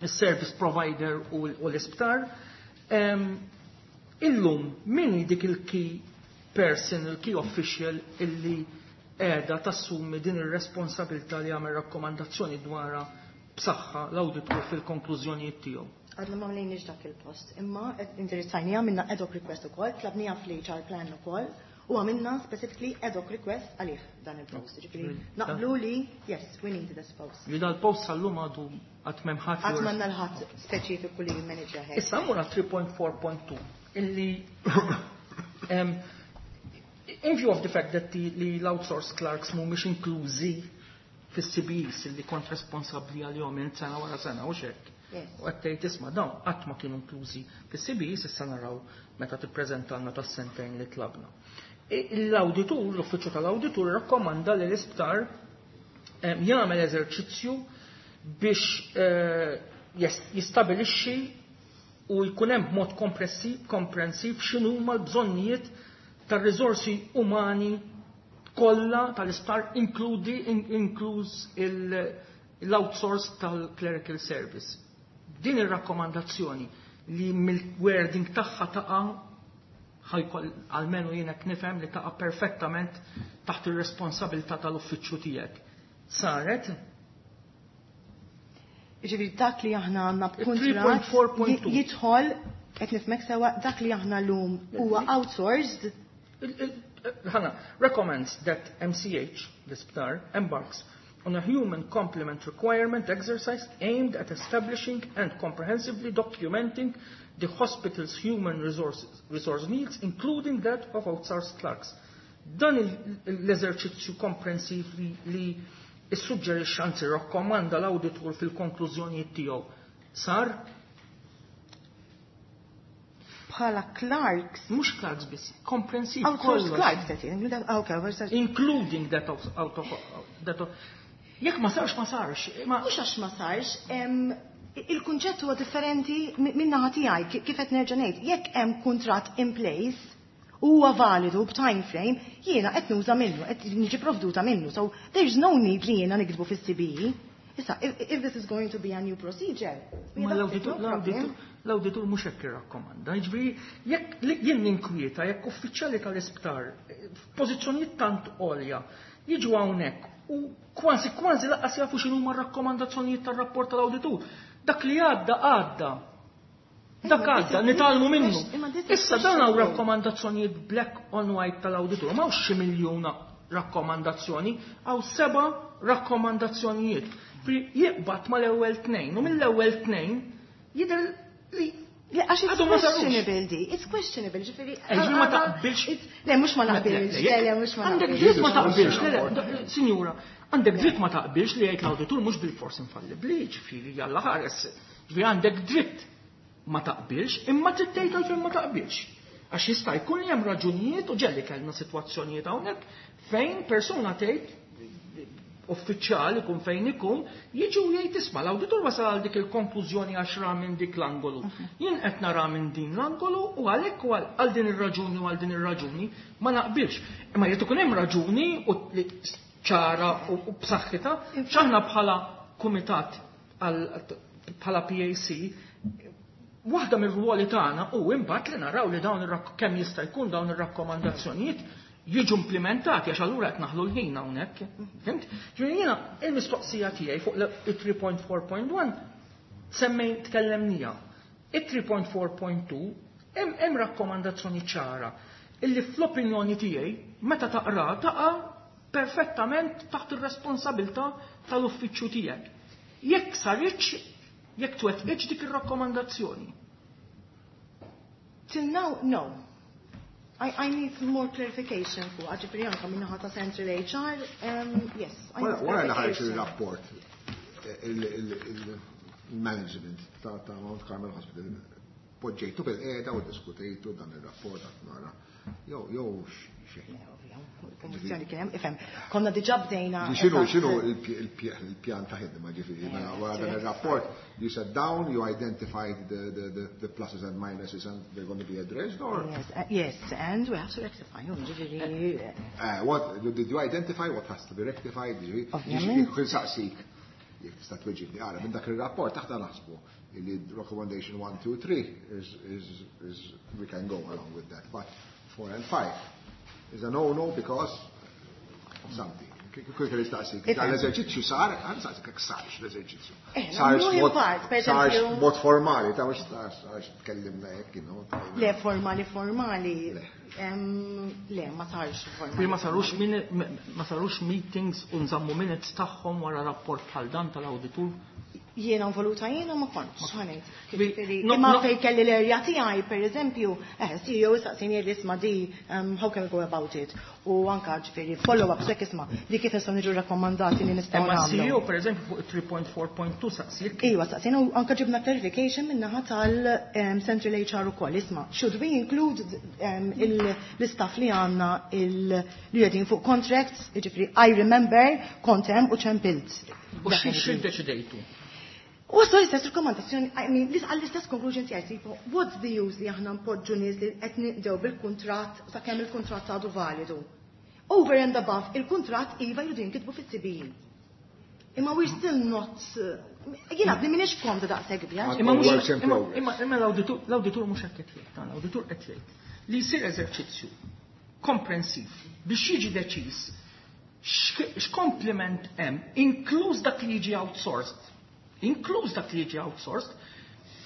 [SPEAKER 4] is-service provider u u l-isptar. Em, Illum min hi dik il-key person, il-key official illi qiegħda tassumi din ir-responsabilità li jagħmel rakkomandazzjoni dwarha b'saħħa l-awditur fil-konklużjonijiet tiegħu?
[SPEAKER 3] Għadna ma mlejniex dak il-post, imma indirizzajniha, għamilna ad hoc request ukoll, tlabniha fl-H R plan ukoll, u għamilna specifically ad hoc request għalih dan il-post. Ġifieri, naqblu li, yes, we need this post.
[SPEAKER 4] Li dal-post sal-lum għadu għad m'hemm ħadd.
[SPEAKER 3] Għad m'għandna 'l ħadd speċifiku li manager head.
[SPEAKER 4] Issa mmur tlieta punt erbgħa punt tnejn illi um, in view of the fact that the, li l-outsourced clerks mhumiex inklużi fis-C B Es illi kont responsabbli għalihom minn sena wara sena u hekk.
[SPEAKER 3] Yes.
[SPEAKER 4] U qed tgħid, isma', dawn qatt ma kienu inklużi fis-C B Es, issa naraw meta tippreżentalna tas-sentejn li tlabna. E, L-awditur, l-uffiċċju tal-awditur rakkomanda li l-isptar em, jagħmel eżerċizzju biex eh, jes- jistabilixxi u jkun hemm b'mod komprensiv komprensiv x'inhuma l-bżonnijiet tar-riżorsi umani kollha tal-isptar, inkludi in, inkluż il- l-outsource tal-clerical service. Din ir-rakkomandazzjoni li mill-wording tagħha taqa' ħajkoll almenu jiena nifhem li taqa' perfettament taħt ir-responsabilità tal-uffiċċju tiegħek. Saret?
[SPEAKER 3] Ġifieri dak li aħna għandna b'kuntratt
[SPEAKER 4] tlieta punt erbgħa punt tnejn.
[SPEAKER 3] jidħol, qed nifhmek sewwa, dak li aħna llum huwa outsourced?
[SPEAKER 4] Il- il- Ħana, recommends that M C H, l-isptar, embarks on a human complement requirement exercise aimed at establishing and comprehensively documenting the hospital's human resources, resource needs, including that of outsourced clerks. Dan il- l-eżerċizzju komprensiv li, li issuġġerixxa, anzi rakkomanda l-awditur fil-konklużjonijiet tiegħu, sar?
[SPEAKER 3] Bħala clerks?
[SPEAKER 4] Mhux clerks biss, komprensiv
[SPEAKER 3] Outsourced
[SPEAKER 4] kollox.
[SPEAKER 3] Clerks qed jgħid. Okay, versa-
[SPEAKER 4] Including that of, out of, that of, jekk ma sarx, ma sarx. Ma
[SPEAKER 3] Mhux għax ma sarx, em, il-kunċett huwa differenti minn naħa tiegħi, kif qed nerġa' ngħid, jekk hemm kuntratt in place huwa validu b'time frame, jiena qed nuża minnu, qed niġi provduta minnu. So there's no need li jiena nikdbu fis-C B E. Issa, if, if this is going to be a new procedure, we
[SPEAKER 4] Ma
[SPEAKER 3] adopt it,
[SPEAKER 4] l-awditur
[SPEAKER 3] no problem.
[SPEAKER 4] l-awditur mhux hekk irrakkomanda. Jiġifieri jekk li jien ninkwieta jekk uffiċjali tal-isptar eh, f'pożizzjonijiet tant għolja jiġu hawnhekk u kważi kważi lanqas jafu x'inhuma r-rakkomandazzjonijiet tar-rapport tal-awditur. Dak li għadda għadda. Dak għadda, nitgħallmu minnu. Issa dan hawn rakkomandazzjonijiet black on white tal-awditur, ma xi miljuna rakkomandazzjoni, hawn seba' rakkomandazzjonijiet. Jiqbad mal-ewwel tnejn, u mill-ewwel tnejn jidher li
[SPEAKER 3] Le, għax it's
[SPEAKER 4] għadu ma sarux.
[SPEAKER 3] questionable di, it's questionable, ġifieri.
[SPEAKER 4] Ġifieri ma taqbilx.
[SPEAKER 3] Le, mhux ma naqbilx, le, le, mhux ma
[SPEAKER 4] Għandek
[SPEAKER 3] naqbilx.
[SPEAKER 4] dritt ma taqbilx, le, le, sinjura, għandek dritt ma taqbilx li jgħid l-awditur mhux bil-fors infallibli, ġifieri jalla ħares. Ġifieri għandek dritt ma taqbilx, imma trid tgħid għalfejn ma taqbilx. Għax jista' jkun li hemm raġunijiet, u ġieli kellna sitwazzjonijiet hawnhekk fejn persuna tgħid, uffiċjal ikun fejn ikun, jiġu jgħid, isma', l-awditur wasal għal dik il-konklużjoni għax ra minn dik l-angolu. Jien qed nara minn din l-angolu u għalhekk u għal din ir-raġuni u għal din ir-raġuni ma naqbilx. Imma jrid ikun hemm raġuni u li ċara u u b'saħħitha, x'aħna bħala kumitat, bħala P A C, waħda mir-ruoli tagħna u imbagħad li naraw li dawn kemm jista' jkun dawn ir-rakkomandazzjonijiet jiġu implementati, għax allura qed naħlu l-ħin hawnhekk. Fhimt? Ġifieri jiena il-mistoqsija tiegħi fuq il-tlieta punt erbgħa punt wieħed semmej tkellemnija. Il-tlieta punt erbgħa punt tnejn hemm rakkomandazzjoni ċara illi fl-opinjoni tiegħi meta taqra taqa' perfettament taħt ir-responsabilità tal-uffiċċju tiegħek. Jekk saritx, jekk twettqitx dik ir-rakkomandazzjoni.
[SPEAKER 3] Till now, no. I, I need more clarification fuq, ġifieri anka min-naħa ta' Central H R, um, yes. I need
[SPEAKER 2] Wara li ħareġ
[SPEAKER 3] clarification.
[SPEAKER 2] Il-rapport, il-management ta' ta' Mount Carmel Hospital poġġejtu bilqiegħda u diskutejtu dan il-rapport għat nara? Jew jew xejn?
[SPEAKER 3] Kommissjoni kien hemm, ifhem, konna diġà bdejna.
[SPEAKER 2] X'inhu
[SPEAKER 3] eżatt.
[SPEAKER 2] X'inhu il-pjan ta' ħidma, ġifieri, mela wara dan il-rapport, you sat down, you identified the, the, the, the pluses and minuses and they're going to be addressed, or
[SPEAKER 3] Yes, uh, yes, and we have to rectify, ġifieri.
[SPEAKER 2] Uh, what did you identify, what has to be rectified, ġifieri?
[SPEAKER 3] Ovvjament.
[SPEAKER 2] Jekk saqsik, jekk tista' tweġibni, ara, minn dak il-rapport aħna naħsbu li recommendation one, two, three is, is, is, we can go along with that, but four and five is a no-no because of something. Kif kelli staqsik, dan l-eżerċizzju sar, għan saqsik jekk sarx l-eżerċizzju.
[SPEAKER 3] Eh,
[SPEAKER 2] Sarx
[SPEAKER 3] nagħmluh in
[SPEAKER 2] mod-
[SPEAKER 3] part, per
[SPEAKER 2] sarx
[SPEAKER 3] eżempju-
[SPEAKER 2] mod formali, ta' mhux sarx tkellimna hekk, you know.
[SPEAKER 3] Le, formali, formali. Em, Le, ma sarx formali.
[SPEAKER 4] Ma sarux min- ma sarux meetings u nżammu minutes tagħhom wara rapport bħal dan tal-awditur.
[SPEAKER 3] Jiena involuta jiena ma kontx, ħa ngħid.
[SPEAKER 4] Bi-
[SPEAKER 3] Ġifieri,
[SPEAKER 4] no-
[SPEAKER 3] Imma
[SPEAKER 4] no-
[SPEAKER 3] fej kelli l-area tiegħi, per eżempju, eh, C E O saqsini li isma' di, um, how can we go about it? U anka ġifieri follow-up hekk isma' di kif nistgħu niġu rakkomandati li nistgħu
[SPEAKER 4] Imma
[SPEAKER 3] nagħmlu.
[SPEAKER 4] C E O per eżempju fuq tlieta punt erbgħa punt tnejn saqsik.
[SPEAKER 3] Iwa, saqsina u anka ġibna clarification minnaħa tal-Central H R u koll. Isma, should we include um, il- l-istaff li għanna il- li qegħdin fuq contracts, ġifieri, I remember, kont hemm u ċempilt.
[SPEAKER 4] U xi xi deċidejtu?
[SPEAKER 3] U għaslu l-istess rekomandazzjoni, I mean, għall-istess conclusion tiegħi, tipo, what's the use li aħna npoġġu nies li qed nibdew bil-kuntratt sakemm il-kuntratt għadu validu? Over and above, il-kuntratt iva jridu jinkitbu fis-C B E. Imma we're still not, uh, jiena għadni m'iniex komda daqshekk biha.
[SPEAKER 4] Imma mhux
[SPEAKER 2] Works in
[SPEAKER 4] imma-
[SPEAKER 2] progress.
[SPEAKER 4] imma imma l-awditur l-awditur mhux hekk qed jgħid, dan l-awditur qed jgħid li jsir eżerċizzju komprensiv biex jiġi deċiż x'k- x'kompliment hemm, inkluż dak li jiġi outsourced. Inkluż dak li jiġi outsourced,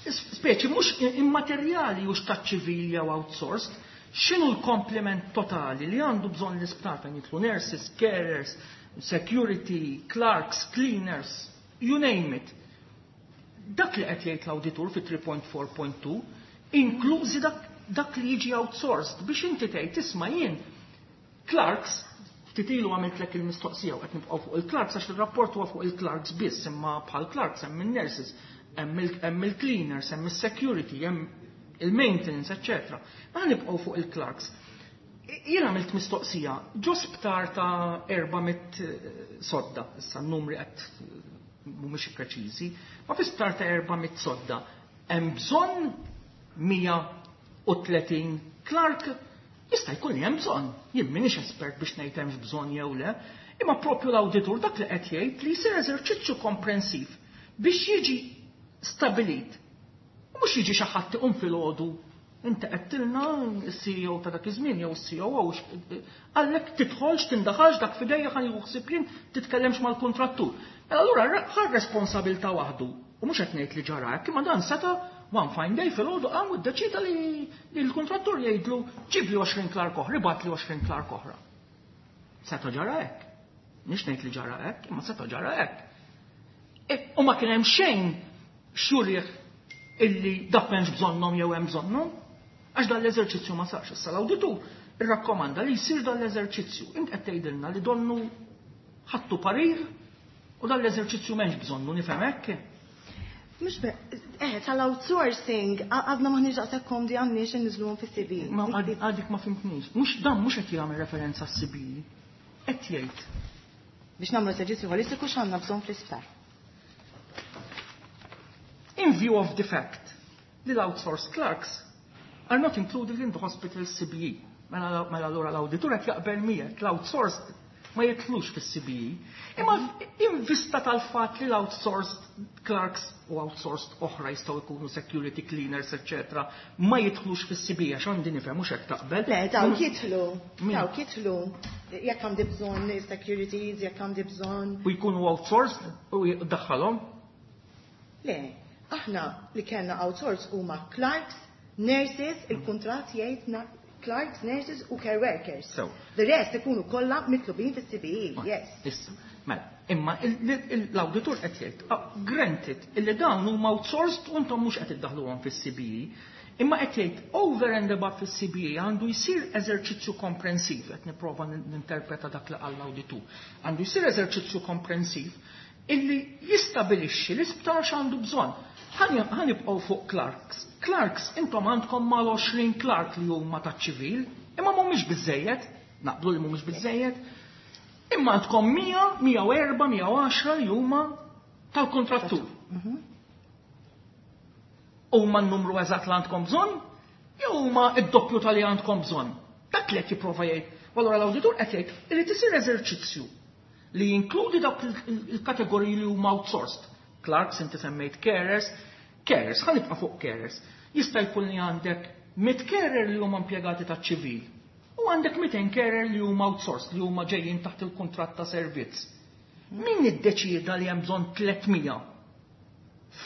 [SPEAKER 4] speċi mhux immaterjali u x'taċ-ċivili jew outsourced, x'inhu l-komplement totali li għandu bżonn l-isptar fejn jidħlu nurses, carers, security, clerks, cleaners, you name it. Dak li qed jgħid l-awditur fi tlieta punt erbgħa punt tnejn, inklużi dak, dak li jiġi outsourced biex inti tgħid isma' jien clerks ftit ilu għamiltlek il-mistoqsija u qed nibqgħu fuq il-clerks għax il-rapport huwa fuq il-clerks biss, imma bħal clerks hemm il-nurses, hemm il- hemm il-cleaners, hemm is-security, hemm il-maintenance, eċċetera. Ma nibqgħu fuq il-clerks. Jien għamilt mistoqsija, ġo sptar ta' erba' mitt sodda, issa n-numri qed mhumiex preċiżi, ma fi sptar ta' erba' mitt sodda hemm bżonn mija u tletin clerk? Jista' jkun li hemm bżonn. Jien m'iniex espert biex ngħid hemmx bżonn jew le, imma propju l-awditur dak li qed jgħid li jsir eżerċizzju komprensiv biex jiġi stabilit. U mhux jiġi xi ħadd iqum filgħodu inti qedtilna s-C E O ta' dak iż-żmien jew is-C O O għallek tidħolx tindaħalx dak fidejja ħa nieħu ħsieb jien, titkellemx mal-kontrattur. Mela allura ħa responsabilità waħdu. U mhux qed ngħid li ġara hekk, imma dan seta' one fine day filgħodu qam u ddeċida li li l-kontrattur jgħidlu ġib li għoxrin clerk oħra, ibgħat li għoxrin clerk oħra. Seta' ġara hekk. Nix ngħid li ġara hekk, imma seta' ġara hekk. E, u ma kien hemm xejn xurih illi dak m'hemmx bżonnhom jew hemm bżonnhom, għax dan l-eżerċizzju ma sarx. Issa l-awditur irrakkomanda li jsir dan l-eżerċizzju. Int qed tgħidilna li donnu ħattu parir u dan l-eżerċizzju m'hemmx bżonnu, nifhem hekk?
[SPEAKER 3] Mux be, eh, tal-outsourcing, għadna maħniex daqshekk komdi għandniex inniżluhom fis-C B E.
[SPEAKER 4] Ma għadik ma fimtnix. Mhux dan mhux qed jagħmel referenza għas-C B E. Qed jgħid
[SPEAKER 3] biex nagħmlu eżerċizzju holistiku x'għandna bżonn fl-isptar.
[SPEAKER 4] In view of the fact li l-outsourced clerks are not included in the hospital C B E. Mela mela allura l-awditur qed jaqbel miegħek l-outsourced ma jitlux fis-C B E. Imma in vista tal-fatt li l-outsourced clerks u outsourced oħra jistgħu jkunu security cleaners, eċċetera, ma jidħlux fis-C B E għax għandi nifhem mhux hekk taqbel.
[SPEAKER 3] Le, dawk jidħlu,
[SPEAKER 4] Min?
[SPEAKER 3] Dawk jidħlu, jekk għandi bżonn securities, jekk għandi bżonn.
[SPEAKER 4] U jkunu outsourced u jdaħħalhom.
[SPEAKER 3] Le, aħna li kellna outsource huma clerks, nurses, il-kuntratt jgħid na- clerks, nurses u care workers.
[SPEAKER 4] So.
[SPEAKER 3] The rest ikunu kollha mitlubin fis-C B E, yes.
[SPEAKER 4] Issa, mela, imma il- il- l-awditur qed jgħid, ah, granted, illi dawn huma outsourced u intom mhux qed iddaħluhom fis-C B E, imma qed jgħid over and above fis-C B E għandu jsir eżerċizzju komprensiv, qed nipprova ninterpreta dak li qal l-awditur. Għandu jsir eżerċizzju komprensiv illi jistabilixxi l-isptar x'għandu bżonn. Ħa nibqgħu fuq clerks. Clerks intom għandkom mal-għoxrin clerk li huma taċ-ċivil, imma mhumiex biżejjed, naqblu li mhumiex biżejjed. Imma għandkom mija, mija u erbgħa, mija u għaxra li huma tal-kontrattur. Huma n-numru eżatt li għandkom bżonn, jew huma id-doppju tal-li għandkom bżonn? Dak li qed jipprova jgħid. U allura l-awditur qed jgħid irid isir eżerċizzju li jinkludi dawk il-kategoriji li huma outsourced. Clerks, inti semmejt carers, carers, ħa nibqa' fuq carers. Jista' jkun li għandek mitt carer li huma impjegati taċ-ċivil u U għandek mitejn carer li huma outsourced, li huma ġejjin taħt il-kuntratt ta' servizz. Min iddeċieda li hemm bżonn tliet mija?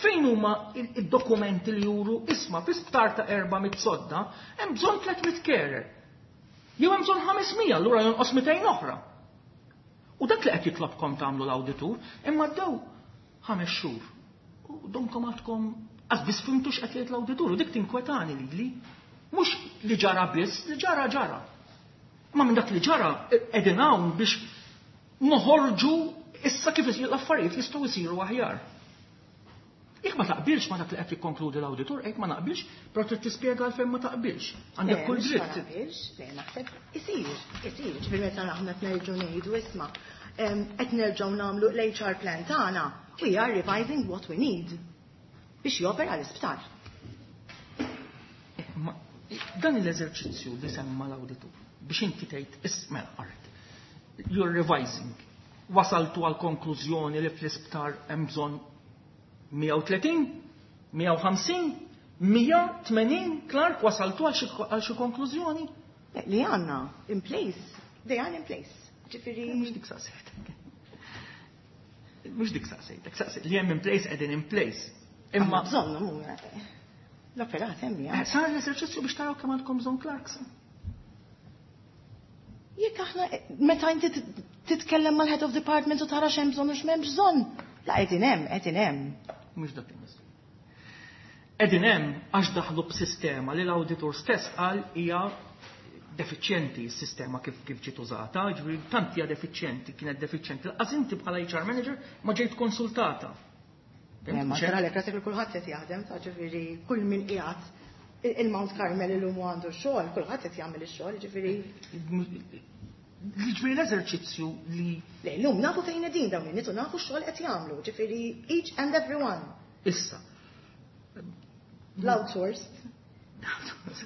[SPEAKER 4] Fejn huma id-dokumenti li juru isma' fi sptar ta' erba' mitt sodda hemm bżonn tliet mitt carer. Jew hemm bżonn ħames mija, allura jonqos mitejn oħra. U dak li qed jitlobkom tagħmlu l-awditur, imma ddew ħames xhur. U domkom għadkom għax biss fimtu x'qed jgħid l-awditur, u dik tinkwetani lili. Mhux li ġara biss, li ġara ġara. Ma minn dak li ġara qegħdin hawn biex noħorġu issa kif l-affarijiet jistgħu jsiru aħjar. Jekk ma taqbilx ma dak li qed jikkonkludi l-awditur, jekk ma naqbilx, però trid tispjega għalfejn ma taqbilx. Għandek kull dritt.
[SPEAKER 3] Ma naqbilx, le naħseb isir, isir, ġifieri meta aħna qed nerġgħu ngħidu isma' qed nerġgħu nagħmlu l-H R plan tagħna, we are revising what we need biex jopera l-isptar.
[SPEAKER 4] Dan l-eżerċizzju li semma l-awditur biex inti tgħid isma' art. You're revising. Wasaltu għal konklużjoni li fl-isptar hemm bżonn mija u tletin, mija u ħamsin, mija u tmenin, Clark, wasaltu għal xi konklużjoni?
[SPEAKER 3] Li għandna in place, they are in place. Ġifieri
[SPEAKER 4] mhux dik saqsejtek. Mhux dik saqsejtek, saqsejtek li hemm in place qegħdin in place. Imma
[SPEAKER 3] bżonn l-operat hemm ja.
[SPEAKER 4] Sar l-eżerċizzju biex taraw kemm għandkom bżonn Clarks.
[SPEAKER 3] Jekk aħna meta inti titkellem mal-head of department u tara x'hemm bżonn u x'm'hemm bżonn. La qegħdin hemm, qegħdin hemm.
[SPEAKER 4] Mhux dak il-mistoqsija. Qegħdin hemm għax daħlu b'sistema li l-awditur stess qal hija defiċjenti s-sistema kif kif ġiet użata, ġifieri tant hija defiċjenti, kienet defiċjenti. Lanqas inti bħala H R manager ma ġejt konsultata.
[SPEAKER 3] Ma tara lek rasek li kulħadd qed jaħdem, ta' ġifieri kull min qiegħed il-Mount Carmel illum għandu x-xogħol, kulħadd qed jagħmel ix-xogħol, ġifieri.
[SPEAKER 4] Ġifieri l-eżerċizzju li
[SPEAKER 3] Le, llum nafu fejn qegħdin dawn in-nies u nafu x-xogħol qed jagħmlu, ġifieri each and every one.
[SPEAKER 4] Issa.
[SPEAKER 3] L-outsourced.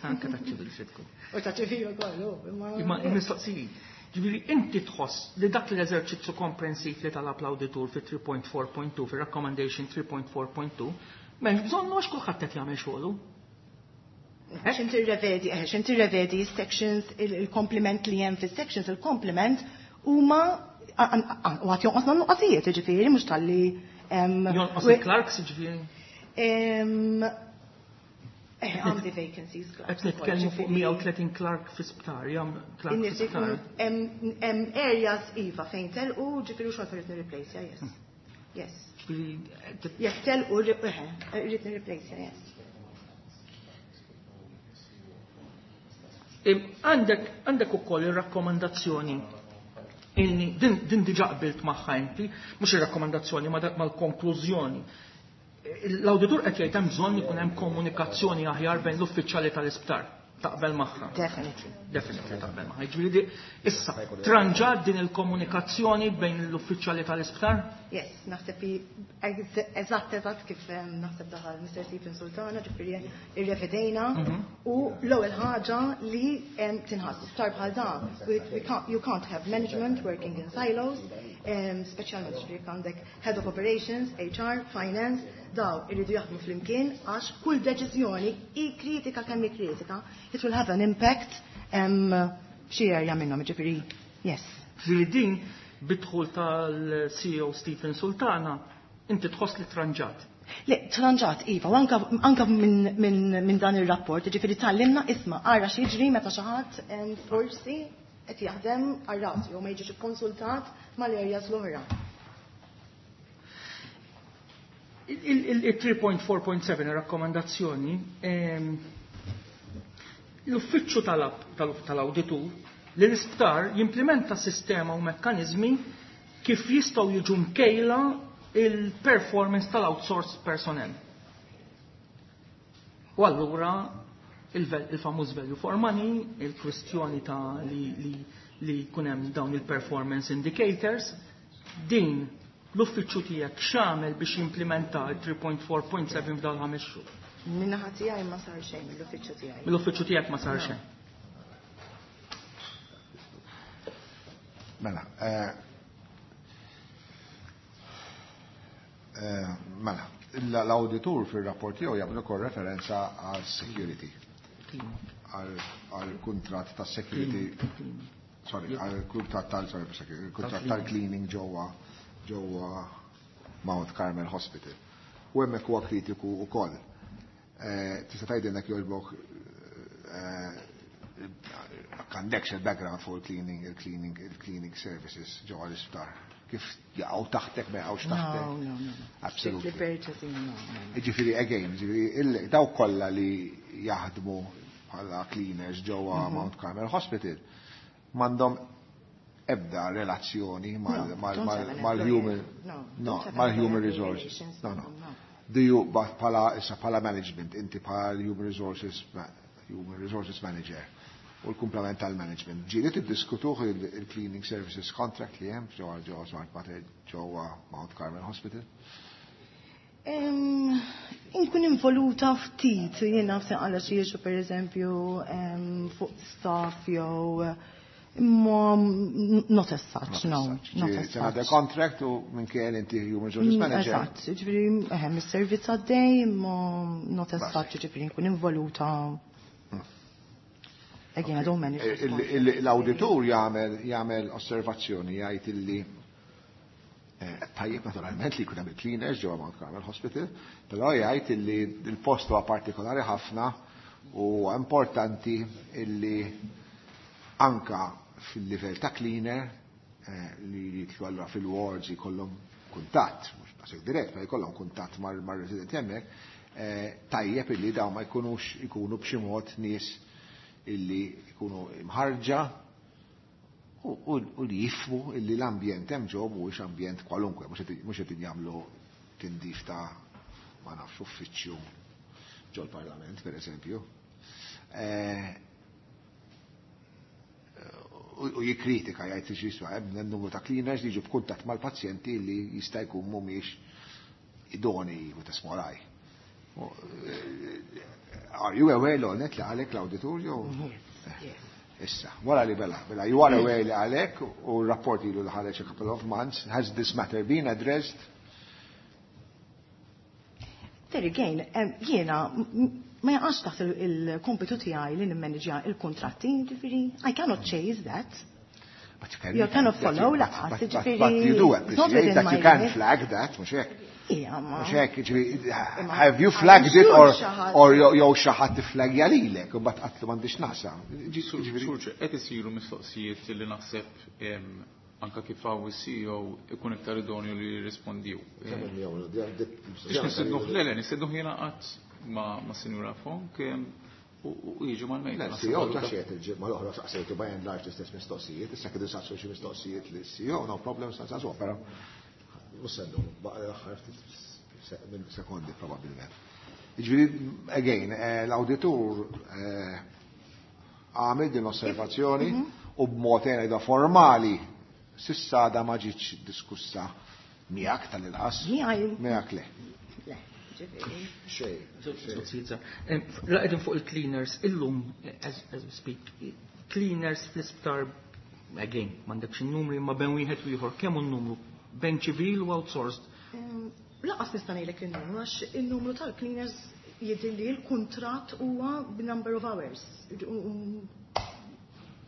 [SPEAKER 4] Anke ta' ċivil xi tkun.
[SPEAKER 3] U ta' ċivil ukoll, imma
[SPEAKER 4] Imma il-mistoqsijiet. Ġifieri inti tħoss li dak l-eżerċizzju komprensiv li talab l-awditur fi three point four point two, fi recommendation three point four point two, m'hemmx bżonn għax kulħadd qed jagħmel xogħlu.
[SPEAKER 3] X'inti rrevedi, eh, x'inti rrevedi sections, il-komplement li hemm fis-sections, il-komplement huma u għad jonqosna nuqqasijiet, ġifieri mhux talli
[SPEAKER 4] Jonqos il-clerks, ġifieri?
[SPEAKER 3] Eh, għandi vacancies,
[SPEAKER 4] clerks. Qed nitkellmu fuq mija u tletin clerk fi sptar, jam clerk fi sptar.
[SPEAKER 3] Hemm areas iva fejn telqu, ġifieri xogħol irrid nirreplace, yes. Yes. Jekk telqu, irrid nirreplace, yes.
[SPEAKER 4] Għandek għandek ukoll ir-rakkomandazzjoni illi din, din diġà qbilt magħha inti, mhux ir-rakkomandazzjoni ma mal-konklużjoni. L-awditur qed jgħid hemm bżonn ikun hemm komunikazzjoni aħjar bejn l-uffiċjali tal-isptar. Taqbel magħha.
[SPEAKER 3] Definitely.
[SPEAKER 4] Definitely taqbel magħha. Jiġifieri issa tranġat din il-komunikazzjoni bejn l-uffiċjali tal-isptar?
[SPEAKER 3] Yes, naħseb eżatt eżatt kif naħseb daħal Mister Stephen Sultana, ġifieri irrevedejna u l-ewwel ħaġa li tinħass sptar bħal dan, you can't have management working in silos, speċjalment ġifieri għandek head of operations, H R, finance, daw irridu jaħdmu flimkien għax kull deċiżjoni hi kritika kemm hi kritika, it will have an impact f'xi area minnhom, ġifieri, yes.
[SPEAKER 4] Ġifieri din bidħul tal-C E O Stephen Sultana, inti tħoss li tranġat.
[SPEAKER 3] Le, tranġat, iva, u anka, anka minn min, min dan ir-rapport, ġifieri tgħallimna isma' ara x'jiġri meta xi ħadd forsi qed jaħdem għal rasu jew ma jiġix ikkonsultat mal-areas l-oħra.
[SPEAKER 4] Il three point four point seven ir-rakkomandazzjoni, l-uffiċċju tal-awditur li l-isptar jimplementa sistema u mekkaniżmi kif jistgħu jiġu mkejla il-performance tal-outsourced personnel. U allura il-famuż value for money, il-kwistjoni ta' li, li, li jkun hemm dawn il-performance indicators, din l-uffiċċju tiegħek x'għamel biex jimplementa il three point four point seven f'dawn ħames xhur?
[SPEAKER 3] Min-naħa tiegħi ma sar xejn mill-uffiċċju tiegħi.
[SPEAKER 4] Mill-uffiċċju tiegħek ma sar xejn.
[SPEAKER 2] Mela, eh, eh, mela, l-awditur fir-rapport tiegħu jagħmel ukoll referenza għal security. għal kuntratt ta' security, sorry, għal kuntratt tal sorry, security, kuntratt tal-cleaning ġewwa ġewwa Mount Carmel Hospital. U hemmhekk huwa kritiku wkoll. Eh, tista' tgħidilna jogħġbok għandekx il-background fuq il-cleaning, il-cleaning, il-cleaning services ġewwa l-isptar. Kif jaqgħu taħtek, ma jaqgħux taħtek?
[SPEAKER 3] No, no, no.
[SPEAKER 2] Absolutely.
[SPEAKER 3] Strictly purchasing, no, no.
[SPEAKER 2] Ġifieri, again, ġifieri, daw kollha li jaħdmu bħala cleaners ġewwa
[SPEAKER 3] Mhm.
[SPEAKER 2] Mount Carmel Hospital m'għandhom ebda relazzjoni
[SPEAKER 3] No, don't have an
[SPEAKER 2] mal-human
[SPEAKER 3] employee. No,
[SPEAKER 2] no,
[SPEAKER 3] don't have
[SPEAKER 2] mal-human
[SPEAKER 3] employee
[SPEAKER 2] resources.
[SPEAKER 3] relations,
[SPEAKER 2] No,
[SPEAKER 3] no,
[SPEAKER 2] no.
[SPEAKER 3] no.
[SPEAKER 2] Do you, but bħala, issa bħala management, inti bħala human resources, ma- human resources manager u l-kumplament tal-management. Ġieli tiddiskutuh il-cleaning services contract li hemm ġewwa ġewwa Smart Mater ġewwa Mount Carmel Hospital?
[SPEAKER 3] Em, Inkun involuta ftit, jiena ftit għala xi issue per eżempju em, fuq staff jew imma not as such, no, not as
[SPEAKER 2] It's another
[SPEAKER 3] such.
[SPEAKER 2] contract u minn kien inti human resources
[SPEAKER 3] Mm,
[SPEAKER 2] manager.
[SPEAKER 3] Eżatt, ġifieri, eħem, is-servizz għaddej, imma not as
[SPEAKER 2] Bas.
[SPEAKER 3] such, ġifieri nkun involuta. Again, I don't manage this
[SPEAKER 2] Il-
[SPEAKER 3] contract.
[SPEAKER 2] il- L-auditur jagħmel jagħmel osservazzjoni jgħid illi eh, tajjeb naturalment li jkun hemm il-cleaners ġewwa Mount Carmel Hospital, però jgħid illi il-post huwa partikolari ħafna u importanti illi anka fil-livell ta' cleaner eh, li jitlu allura fil-wards jkollhom kuntatt, mhux daqshekk dirett, ma jkollhom kuntatt mar- mar-residenti hemmhekk, eh, tajjeb illi dawn ma jkunux ikunu b'xi mod nies illi jkunu imħarġa u, u, u li jifhmu illi l-ambjent hemm ġew mhuwiex ambjent kwalunkwe, mhux qed mhux qed jagħmlu tindif ta' ma nafx uffiċċju ġol-parlament, per eżempju. Eh, u u jikkritika jgħid xi jiswa hemm numru ta' cleaners li jiġu f'kuntatt mal-pazjenti li jista' jkun mhumiex idonei u ta' smolaj. U, eh, Are you aware l net li għalek l-auditur jew?
[SPEAKER 3] Yes, yes.
[SPEAKER 2] Issa, wara li bela, bela, you are aware li għalek u r-rapport ilu li ħareġ a couple of months, has this matter been addressed?
[SPEAKER 3] There again, em, jiena m- m- ma jaqax taħt il- il-kompitu tiegħi li nimmanġja il-kontratti, ġifieri, I cannot chase that.
[SPEAKER 2] But you can,
[SPEAKER 3] You cannot follow,
[SPEAKER 2] but,
[SPEAKER 3] laqas,
[SPEAKER 2] but, but,
[SPEAKER 3] ġifieri,
[SPEAKER 2] but you do
[SPEAKER 3] it's not
[SPEAKER 2] appreciate
[SPEAKER 3] within
[SPEAKER 2] that
[SPEAKER 3] my
[SPEAKER 2] you can
[SPEAKER 3] remit.
[SPEAKER 2] flag that, mhux hekk.
[SPEAKER 3] Ija, ma.
[SPEAKER 2] Mhux hekk, ġifieri,
[SPEAKER 3] Imma
[SPEAKER 2] have you
[SPEAKER 3] I'm
[SPEAKER 2] flagged it
[SPEAKER 3] sure
[SPEAKER 2] or
[SPEAKER 3] xi ħadd-
[SPEAKER 2] or jew jew xi ħadd tiflagja lilek u mbagħad qatlu m'għandix naqsam. Ġifieri-
[SPEAKER 5] Surġe, qed isiru mistoqsijiet li naħseb em, anka kif hawn is-C E O ikun iktar idonju li jirrispondiw. Biex nistednuh, le, le, nistednuh jiena qatt ma' ma' Sinjura Fonk em, u u jiġu mal-mejda.
[SPEAKER 2] Le, C E O ta' xiet il-ġimgħa l-oħra saqsejtu by and large l-istess mistoqsijiet, issa kidu saqsu xi mistoqsijiet li C E O, no problem, saqsu, però mhux sendu, baqa' l-aħħar ftit se- minn sekondi probabbilment. Ġifieri, again, eh, l-auditur eh, għamel din l-osservazzjoni u b'mod da formali s'issa da ma ġietx diskussa miegħek tal-inqas.
[SPEAKER 3] Miegħi.
[SPEAKER 2] Miegħek le.
[SPEAKER 3] Le, ġifieri.
[SPEAKER 2] Xejn.
[SPEAKER 4] Mistoqsijiet żgħar. Em, La qegħdin fuq il-cleaners, illum, as, as we speak, cleaners fl-isptar, again, m'għandekx in-numri, ma bejn wieħed u ieħor, kemm hu n-numru? Bejn ċivil u outsourced?
[SPEAKER 3] Em, Lanqas nista' ngħidlek in-numru għax in-numru tal-cleaners jidher li l-kuntratt huwa b'number of hours. U- u-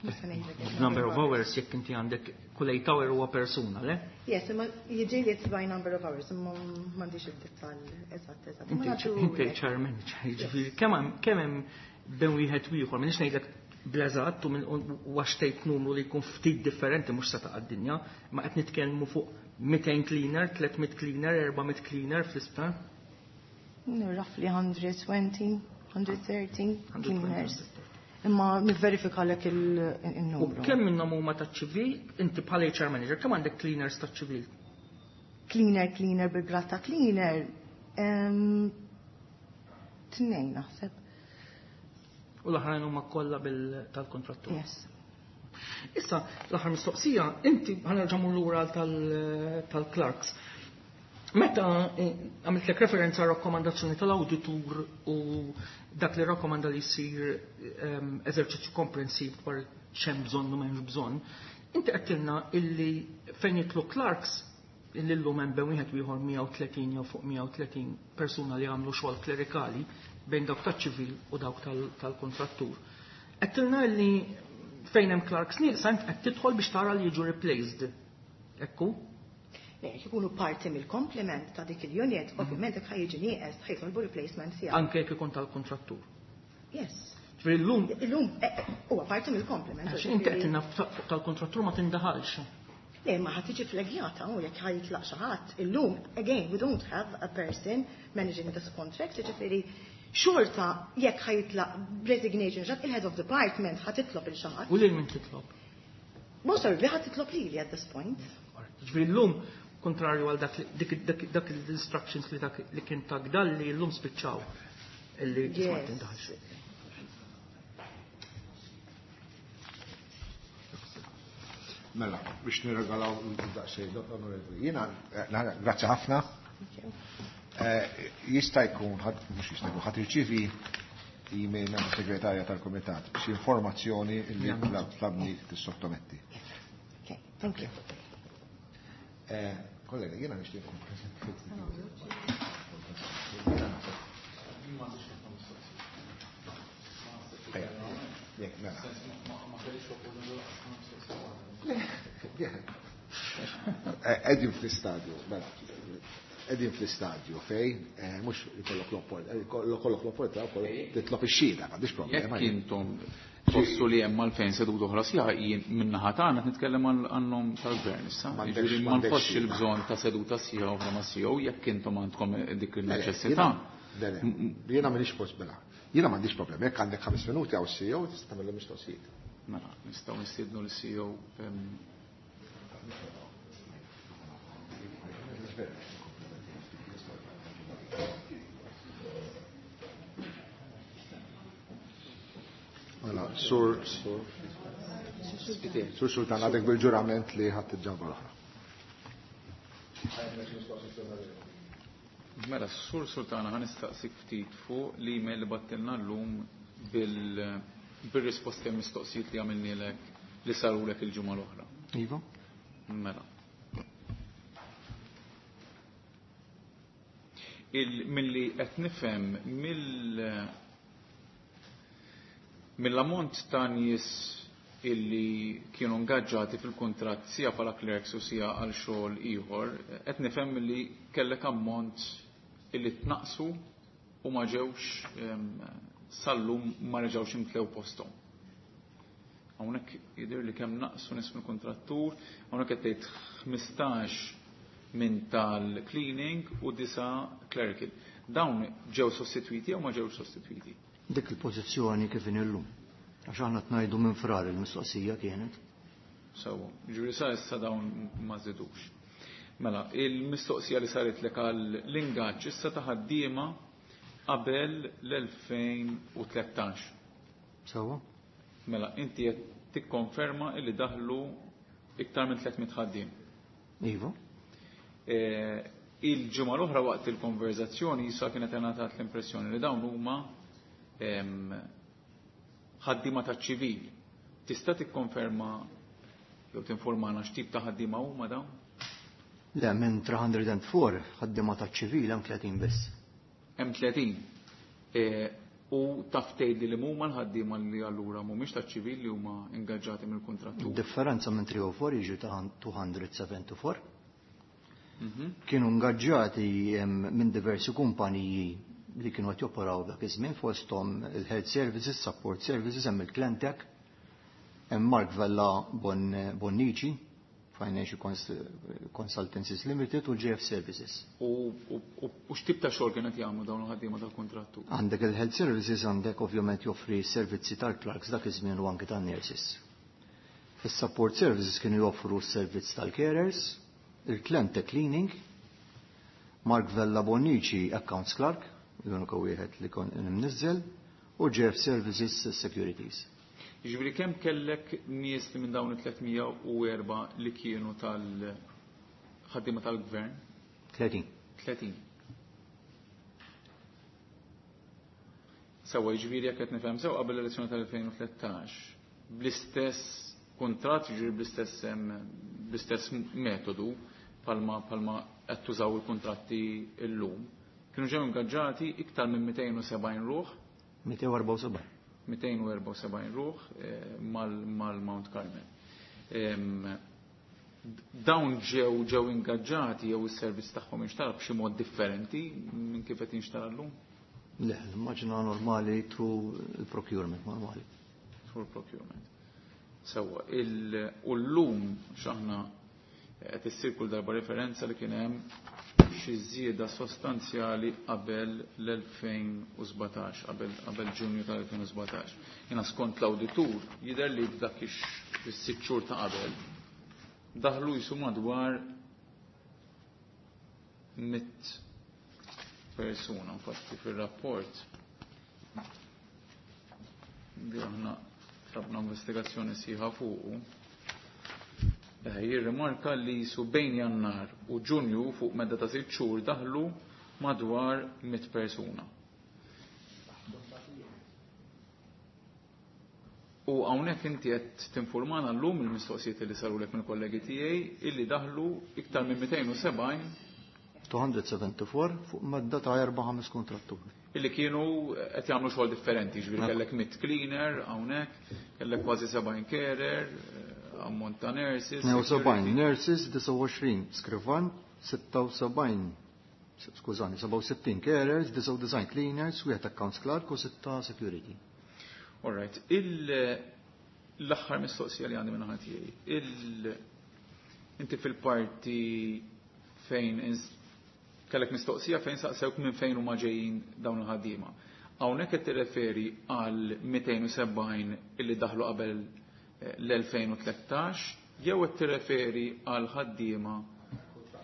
[SPEAKER 3] Nista' ngħidlek il-
[SPEAKER 4] Number of hours, jekk inti għandek kull eight hour huwa persuna, le?
[SPEAKER 3] Yes, imma jidher li it's by number of hours, imma m'għandix id-dettall eżatt eżatt. Imma
[SPEAKER 4] Inti
[SPEAKER 3] nagħtu
[SPEAKER 4] inti H R manager, jiġifieri kemm hemm kemm hemm bejn wieħed u ieħor, m'inix ngħidlek bl-eżatt u minn u għax tgħid numru li jkun ftit differenti mhux se taqa' d-dinja, ma qed nitkellmu fuq mitejn cleaner, tliet mitt cleaner, erba' mitt cleaner fl-isptar.
[SPEAKER 3] Roughly one hundred twenty, one hundred thirty cleaners.
[SPEAKER 4] one hundred twenty.
[SPEAKER 3] Imma nivverifika lek
[SPEAKER 4] U
[SPEAKER 3] il-numru.
[SPEAKER 4] kemm minnhom huma taċ-ċivil, inti bħala H R manager, kemm għandek cleaners taċ-ċivil?
[SPEAKER 3] Cleaner, cleaner, bil-grad ta' cleaner. em, Tnejn naħseb.
[SPEAKER 4] U l-oħrajn huma kollha bil tal-kontrattur.
[SPEAKER 3] Yes.
[SPEAKER 4] Issa, l-aħħar mistoqsija, inti ħa nerġa' lura tal- tal-clerks. Meta eh, għamiltlek referenza rakkomandazzjoni tal-awditur u dak li rakkomanda li jsir ehm, eżerċizzju komprensiv dwar x'hemm bżonn u m'hemmx bżonn, inti għedtilna illi fejn jidħlu clerks illi llum hemm bejn wieħed u ieħor mija u tletin jew fuq mija u tletin persuna li għamlu xogħol klerikali bejn dawk taċ-ċivil u dawk tal-kontrattur. Għedtilna li fejn hemm clerks nieqsa int qed tidħol biex tara li jiġu replaced. Ekku?
[SPEAKER 3] Le, jekk ikunu parti mill-complement ta' dik il-unit, ovvjament jekk ħa jiġi nieqes ħa jitolbu replacement tiegħu.
[SPEAKER 4] Anke jekk ikun tal-kontrattur.
[SPEAKER 3] Yes.
[SPEAKER 4] Ġifieri llum
[SPEAKER 3] Illum eh, eh, huwa parti mill-complement.
[SPEAKER 4] Għax inti għedtilna fuq tal-kontrattur ma tindaħalx.
[SPEAKER 3] Le, ma ħa tiġi flagjata u jekk ħa jitlaq xi ħadd. Illum, again, we don't have a person managing this contract, ġifieri xorta jekk ħa jitlaq resignation ġat il-head of department ħa titlob il xi ħadd.
[SPEAKER 4] U lil min titlob?
[SPEAKER 3] Most probably ħa titlob lili at this point.
[SPEAKER 4] Ġifieri llum kontrarju għal dak dik dak dak l-instructions li dak li kien tak dalli llum spiċċaw illi ma
[SPEAKER 3] Yes.
[SPEAKER 4] tindaħalx.
[SPEAKER 2] Mela, biex nirregalaw daqsxejn, onorevoli. Jiena, eh, grazzi ħafna.
[SPEAKER 3] Thank you.
[SPEAKER 2] Eh, Jista' jkun, ħadd- mhux jista' jkun, ħa tirċievi email minn segretarja tal-Kumitat biex informazzjoni li tlabni tissottometti.
[SPEAKER 3] Okay, thank you.
[SPEAKER 2] Eh, Kollega, jiena nixtieq nkun preżenti. Ejja, jekk, mela. Eh, Qegħdin fl-istadju, mela, qegħdin fl-istadju fejn, eh, mhux ikollok l-opport, ikollok l-opportunità wkoll titlob ix-xhieda, m'għandix problema.
[SPEAKER 5] Jekk intom tħossu li hemm għalfejn seduta oħra sħiħa, jien min-naħa tagħna qed nitkellem għan-nom tal-gvern issa.
[SPEAKER 2] M'għandekx-
[SPEAKER 5] Jiġifieri ma
[SPEAKER 2] m'għandekx
[SPEAKER 5] nħossx
[SPEAKER 2] xhieda.
[SPEAKER 5] il-bżonn ta' seduta sħiħa oħra ma' C E O jekk intom għandkom dik il-neċessità.
[SPEAKER 2] Le, le, jiena m'iniex post mela. Jiena m'għandix problema, jekk għandek ħames minuti għaw C E O tista' tagħmel mistoqsijiet.
[SPEAKER 5] Mela, nistgħu nistiednu l-C E O em,
[SPEAKER 2] Mela, sur sur Sur Sultan, għadek bil-ġurament li ħadd il-ġabra l-oħra.
[SPEAKER 5] Mela, Sur Sultana, ħa nistaqsik ftit fuq l-email li bgħattilna llum bil- bil-risposti għal mistoqsijiet li għamilnielek li sarulek il-ġimgħa l-oħra.
[SPEAKER 4] Iva.
[SPEAKER 5] Mela. Il, milli qed nifhem mill mill-ammont ta' nies illi kienu ingaġġati fil-kuntratt sija bħala clerks u sija għal xogħol ieħor, qed nifhem li kellek ammont illi tnaqsu u ma ġewx em, sallum ma reġgħux imtlew posthom. Hawnhekk jidher li kemm naqsu nies mill-kontrattur, hawnhekk qed tgħid ħmistax minn tal-cleaning u disa clerical. Dawn ġew sostitwiti jew ma ġewx sostitwiti?
[SPEAKER 7] Dik il-pożizzjoni kif inhi llum. Għax aħna tnajdu minn Frar il-mistoqsija kienet.
[SPEAKER 5] Sewwa, ġifieri sa issa dawn ma żidux. Mela, il-mistoqsija li saret lek għal l-ingaġġ issa ta' ħaddiema qabel l-elfejn u tlettax.
[SPEAKER 7] Sewwa?
[SPEAKER 5] Mela, inti qed tikkonferma illi daħlu iktar minn tliet mitt ħaddiem.
[SPEAKER 7] Iva.
[SPEAKER 5] Eh, Il-ġimgħa l-oħra waqt il-konverzazzjoni issa kienet ingħatat l-impressjoni li dawn huma em, ħaddiema taċ-ċivil. Tista' tikkonferma jew tinformana x'tip ta' ħaddiema huma dawn?
[SPEAKER 7] Le, minn tliet mija u erbgħa ħaddiema taċ-ċivil hemm tletin biss.
[SPEAKER 5] Hemm tletin. Eh, U taf tgħidli li huma l-ħaddiema li allura mhumiex taċ-ċivil li huma ingaġġati mill-kuntrattur?
[SPEAKER 7] Differenza minn tliet mija u erbgħa jiġu ta' mitejn u sebgħa u sebgħin.
[SPEAKER 5] Mhm.
[SPEAKER 7] Kienu ingaġġati em, minn diversi kumpaniji li kienu qed joperaw dak iż-żmien, fosthom il-Health Services, Support Services, hemm il-Klentec, hemm Mark Vella Bon Bonnici, Financial Cons Consultancies Limited u J F Services.
[SPEAKER 5] U u- u- u x'tip ta' xogħol kienet jagħmlu dawn il-ħaddiema tal-kuntrattur?
[SPEAKER 7] Għandek il-Health Services, għandek ovvjament joffri servizzi tal-clerks dak iż-żmien u anke tan-nurses. Fis-Support Services kienu joffru s-servizz tal-carers, il-Klente Cleaning, Mark Vella Bonnici Accounts Clerk, l-unika wieħed li kon imniżżel, u J F Services Securities.
[SPEAKER 5] Jiġifieri kemm kellek nies li minn dawn it-tliet mija u erbgħa li kienu tal-ħaddiema tal-gvern?
[SPEAKER 7] tletin.
[SPEAKER 5] tletin. Sewwa, jiġifieri jekk qed nifhem sew, qabel l-elezzjoni tal-elfejn u tlettax bl-istess kuntratt, jiġifieri bl-istess em, bl-istess metodu palma palma qed tużaw il-kuntratti illum, kienu ġew ingaġġati iktar minn mitejn u sebgħin ruħ.
[SPEAKER 7] mitejn u erbgħa u sebgħin.
[SPEAKER 5] mitejn u erbgħa u sebgħin ruħ mal-Mount Carmel. Dawn ġew ġew ingaġġati jew is-servizz tagħhom inxtara b'xi mod differenti minn kif qed jinxtara llum?
[SPEAKER 7] Le, l-immaġina normali through il-procurement normali.
[SPEAKER 5] Through procurement. Sewwa, u llum x'aħna qed issir kull darba referenza li kien hemm xi żieda sostanzjali qabel l-elfejn u sbatax, qabel Ġunju tal-elfejn u sbatax. Jiena skont l-awditur jidher li f'dak is-sitt xhur ta' qabel daħlu jisu madwar mitt persuna, infatti fir-rapport li aħna tlabna investigazzjoni sħiħa fuqu. Jirrimarka li jisu bejn Jannar u Ġunju fuq medda ta' sitt xhur daħlu madwar mitt persuna. U hawnhekk inti qed tinformana llum il-mistoqsijiet li sarulek mill-kollegi tiegħi illi daħlu iktar minn mitejn u sebgħin
[SPEAKER 7] two hundred seventy-four fuq medda ta' erba' ħames kontratturi.
[SPEAKER 5] Illi kienu qed jagħmlu xogħol differenti, ġifieri kellek mitt cleaner hawnhekk, kellek kważi sebgħin carer, ammont ta' nurses,
[SPEAKER 7] Tnejn u sebgħin nurses, disgħa u għoxrin skrivan, sitta u sebgħin, skużani, sebgħa u sittin carers, disgħa u disgħin cleaners, wieħed accounts clerk u sitta security.
[SPEAKER 5] All right, il-, l-aħħar mistoqsija li għandi minn naħa tiegħi. Il-, inti fil-parti fejn ins-, kellek mistoqsija fejn saqsewk minn fejn huma ġejjin dawn il-ħaddiema. Hawnhekk qed tirreferi għal mitejn u sebgħin illi daħlu qabel l-elfejn u tlettax jew qed tirreferi għal ħaddiema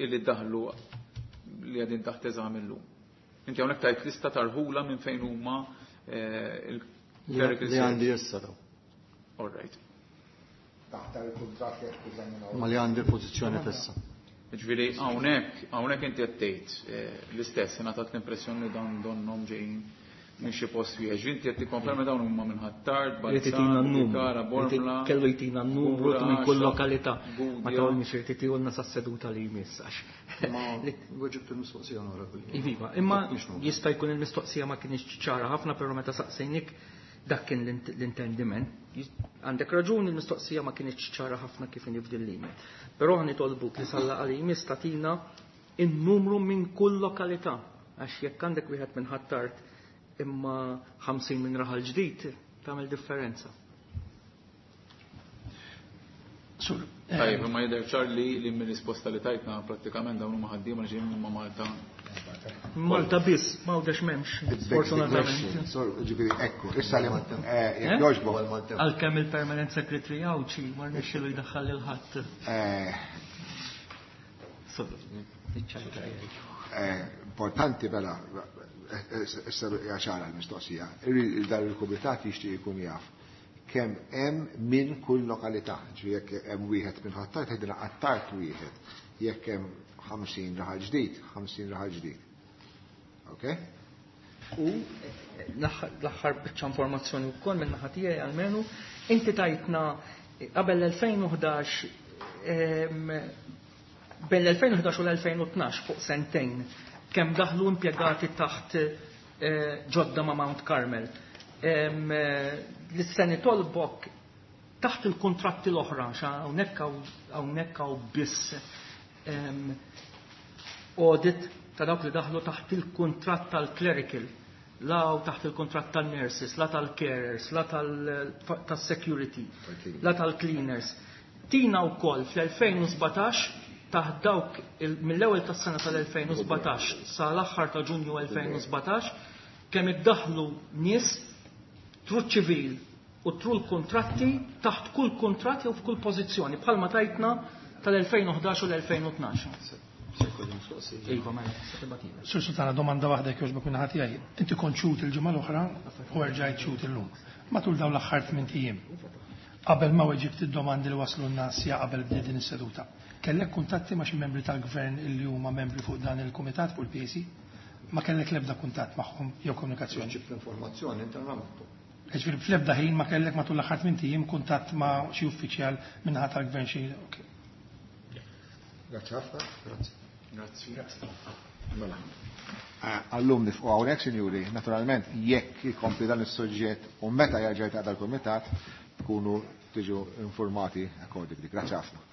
[SPEAKER 5] illi daħlu li qegħdin taħt eżami llum. Inti hawnhekk tajt lista tarħula minn fejn huma, eh, il-clerical
[SPEAKER 7] Li għandi
[SPEAKER 5] service.
[SPEAKER 7] issa daw.
[SPEAKER 5] All right.
[SPEAKER 2] Taħt il-kuntratt li qed teżaminaw.
[SPEAKER 7] Ma li għandi l-pożizzjoni fissa.
[SPEAKER 5] Ġifieri hawnhekk, hawnhekk inti qed tgħid, eh, l-istess, ingħatat l-impressjoni li dawn donnhom ġejjin minn xi post wieħed. Ġifieri inti qed tikkonferma dawn huma minn Ħ'Attard,
[SPEAKER 4] Irid itina
[SPEAKER 5] Balzan,
[SPEAKER 4] n-numru.
[SPEAKER 5] Kara, Bormla,
[SPEAKER 4] Kellu jtina n-numru
[SPEAKER 5] Gura,
[SPEAKER 4] minn kull
[SPEAKER 5] Għaxa,
[SPEAKER 4] lokalità.
[SPEAKER 5] Gudja.
[SPEAKER 4] Ma tawni xi jrid itiehulna sas-seduta li jmiss għax.
[SPEAKER 7] Ma weġibt il-mistoqsija onorevoli.
[SPEAKER 4] Iva, imma
[SPEAKER 7] Mhix numru.
[SPEAKER 4] jista' jkun il-mistoqsija ma kienx ċara ħafna, però meta saqsejnik dak kien l-int-, l-intendiment. Għandek raġun, il-mistoqsija ma kienx ċara ħafna kif inhi f'din l-email. Però ħa nitolbuk li sal-laqgħa li jmiss tagħtina in-numru minn kull lokalità, għax jekk għandek wieħed minn Ħ'Attard imma ħamsin minn Raħal Ġdid, tagħmel differenza.
[SPEAKER 6] Sur, eh,
[SPEAKER 5] Tajjeb, imma jidher ċar li, li mir-risposta li tajtna prattikament dawn huma ħaddiema li ġejjin minn Malta.
[SPEAKER 4] Malta biss, ma għawdex m'hemmx,
[SPEAKER 2] It begs the
[SPEAKER 4] sfortunatament.
[SPEAKER 2] question. Sur, ġifieri, ekku, issa li, eh, jekk
[SPEAKER 4] Eh?
[SPEAKER 2] jogħġbok.
[SPEAKER 4] Għalkemm il-permanent secretary Għawdxi ma rnexxielu jdaħħal lil ħadd.
[SPEAKER 2] Eh,
[SPEAKER 4] Sur, iċ-ċajta jgħid.
[SPEAKER 2] eh, importanti bela, issa hija ċara l-mistoqsija. Irrid dan il-kumitat jixtieq ikun jaf kemm hemm minn kull lokalità. Ġifieri jekk hemm wieħed minn Ħ'Attard, tgħidilna Ħ'Attard wieħed. Jekk hemm ħamsin Raħal Ġdid, ħamsin Raħal Ġdid. Ok?
[SPEAKER 4] U l-aħħar biċċa informazzjoni wkoll minn naħa tiegħi almenu, inti tajtna qabel l-elfejn u ħdax, ehm, bejn l-elfejn u ħdax u l-elfejn u tnax fuq sentejn, kemm daħlu impjegati taħt, eh, ġodda ma' Mount Carmel. Ehm, eh, L-seni tolbok taħt il-kontratti l-oħra, xa hawnhekk hawn, hawnhekk hawn biss, ehm, audit ta' dawk li daħlu taħt il-kuntratt tal-clerical, la taħt il-kuntratt tal-nurses, la tal-carers, la tal-, tas-security, la tal-cleaners. Tina wkoll fl-elfejn u sbatax taħt dawk il-, mill-ewwel tas-sena tal-elfejn u sbatax sa l-aħħar ta' Ġunju elfejn u sbatax kemm iddaħlu nies through ċivil u through l-kontratti taħt kull kuntratt jew f'kull pożizzjoni bħalma tajtna tal-elfejn u ħdax u l-elfejn u tnax. Iva, mela, se tibatila.
[SPEAKER 6] Sur Sultana, domanda waħda jekk jogħġbok minn ħadd tiegħi. Inti kont xhud il-ġimgħa l-oħra u rġajt xhud illum. Matul dawn l-aħħar tmien ijiem, qabel ma weġibt id-domandi li waslu n-nas ja qabel bdiet din is-seduta, kellek kuntatti ma' xi membri tal-gvern illi huma membri fuq dan il-kumitat fuq il-P A C? Ma kellek l-ebda kuntatt magħhom jew komunikazzjoni?
[SPEAKER 7] Ġibt l-informazzjoni internament.
[SPEAKER 6] Ġifieri fl-ebda ħin ma kellek matul l-aħħar tmien ijiem kuntatt ma' xi uffiċjal min-naħa tal-gvern xi. Ok.
[SPEAKER 2] Grazzi ħafna.
[SPEAKER 7] Grazzi.
[SPEAKER 5] Grazzi.
[SPEAKER 2] Mela. Għal-lum nieqfu hawnhekk, sinjuri, naturalment jekk ikompli dan is-suġġett u meta jerġa' jiltaqa' dal-kumitat tkunu tiġu informati accordingly. Grazzi ħafna.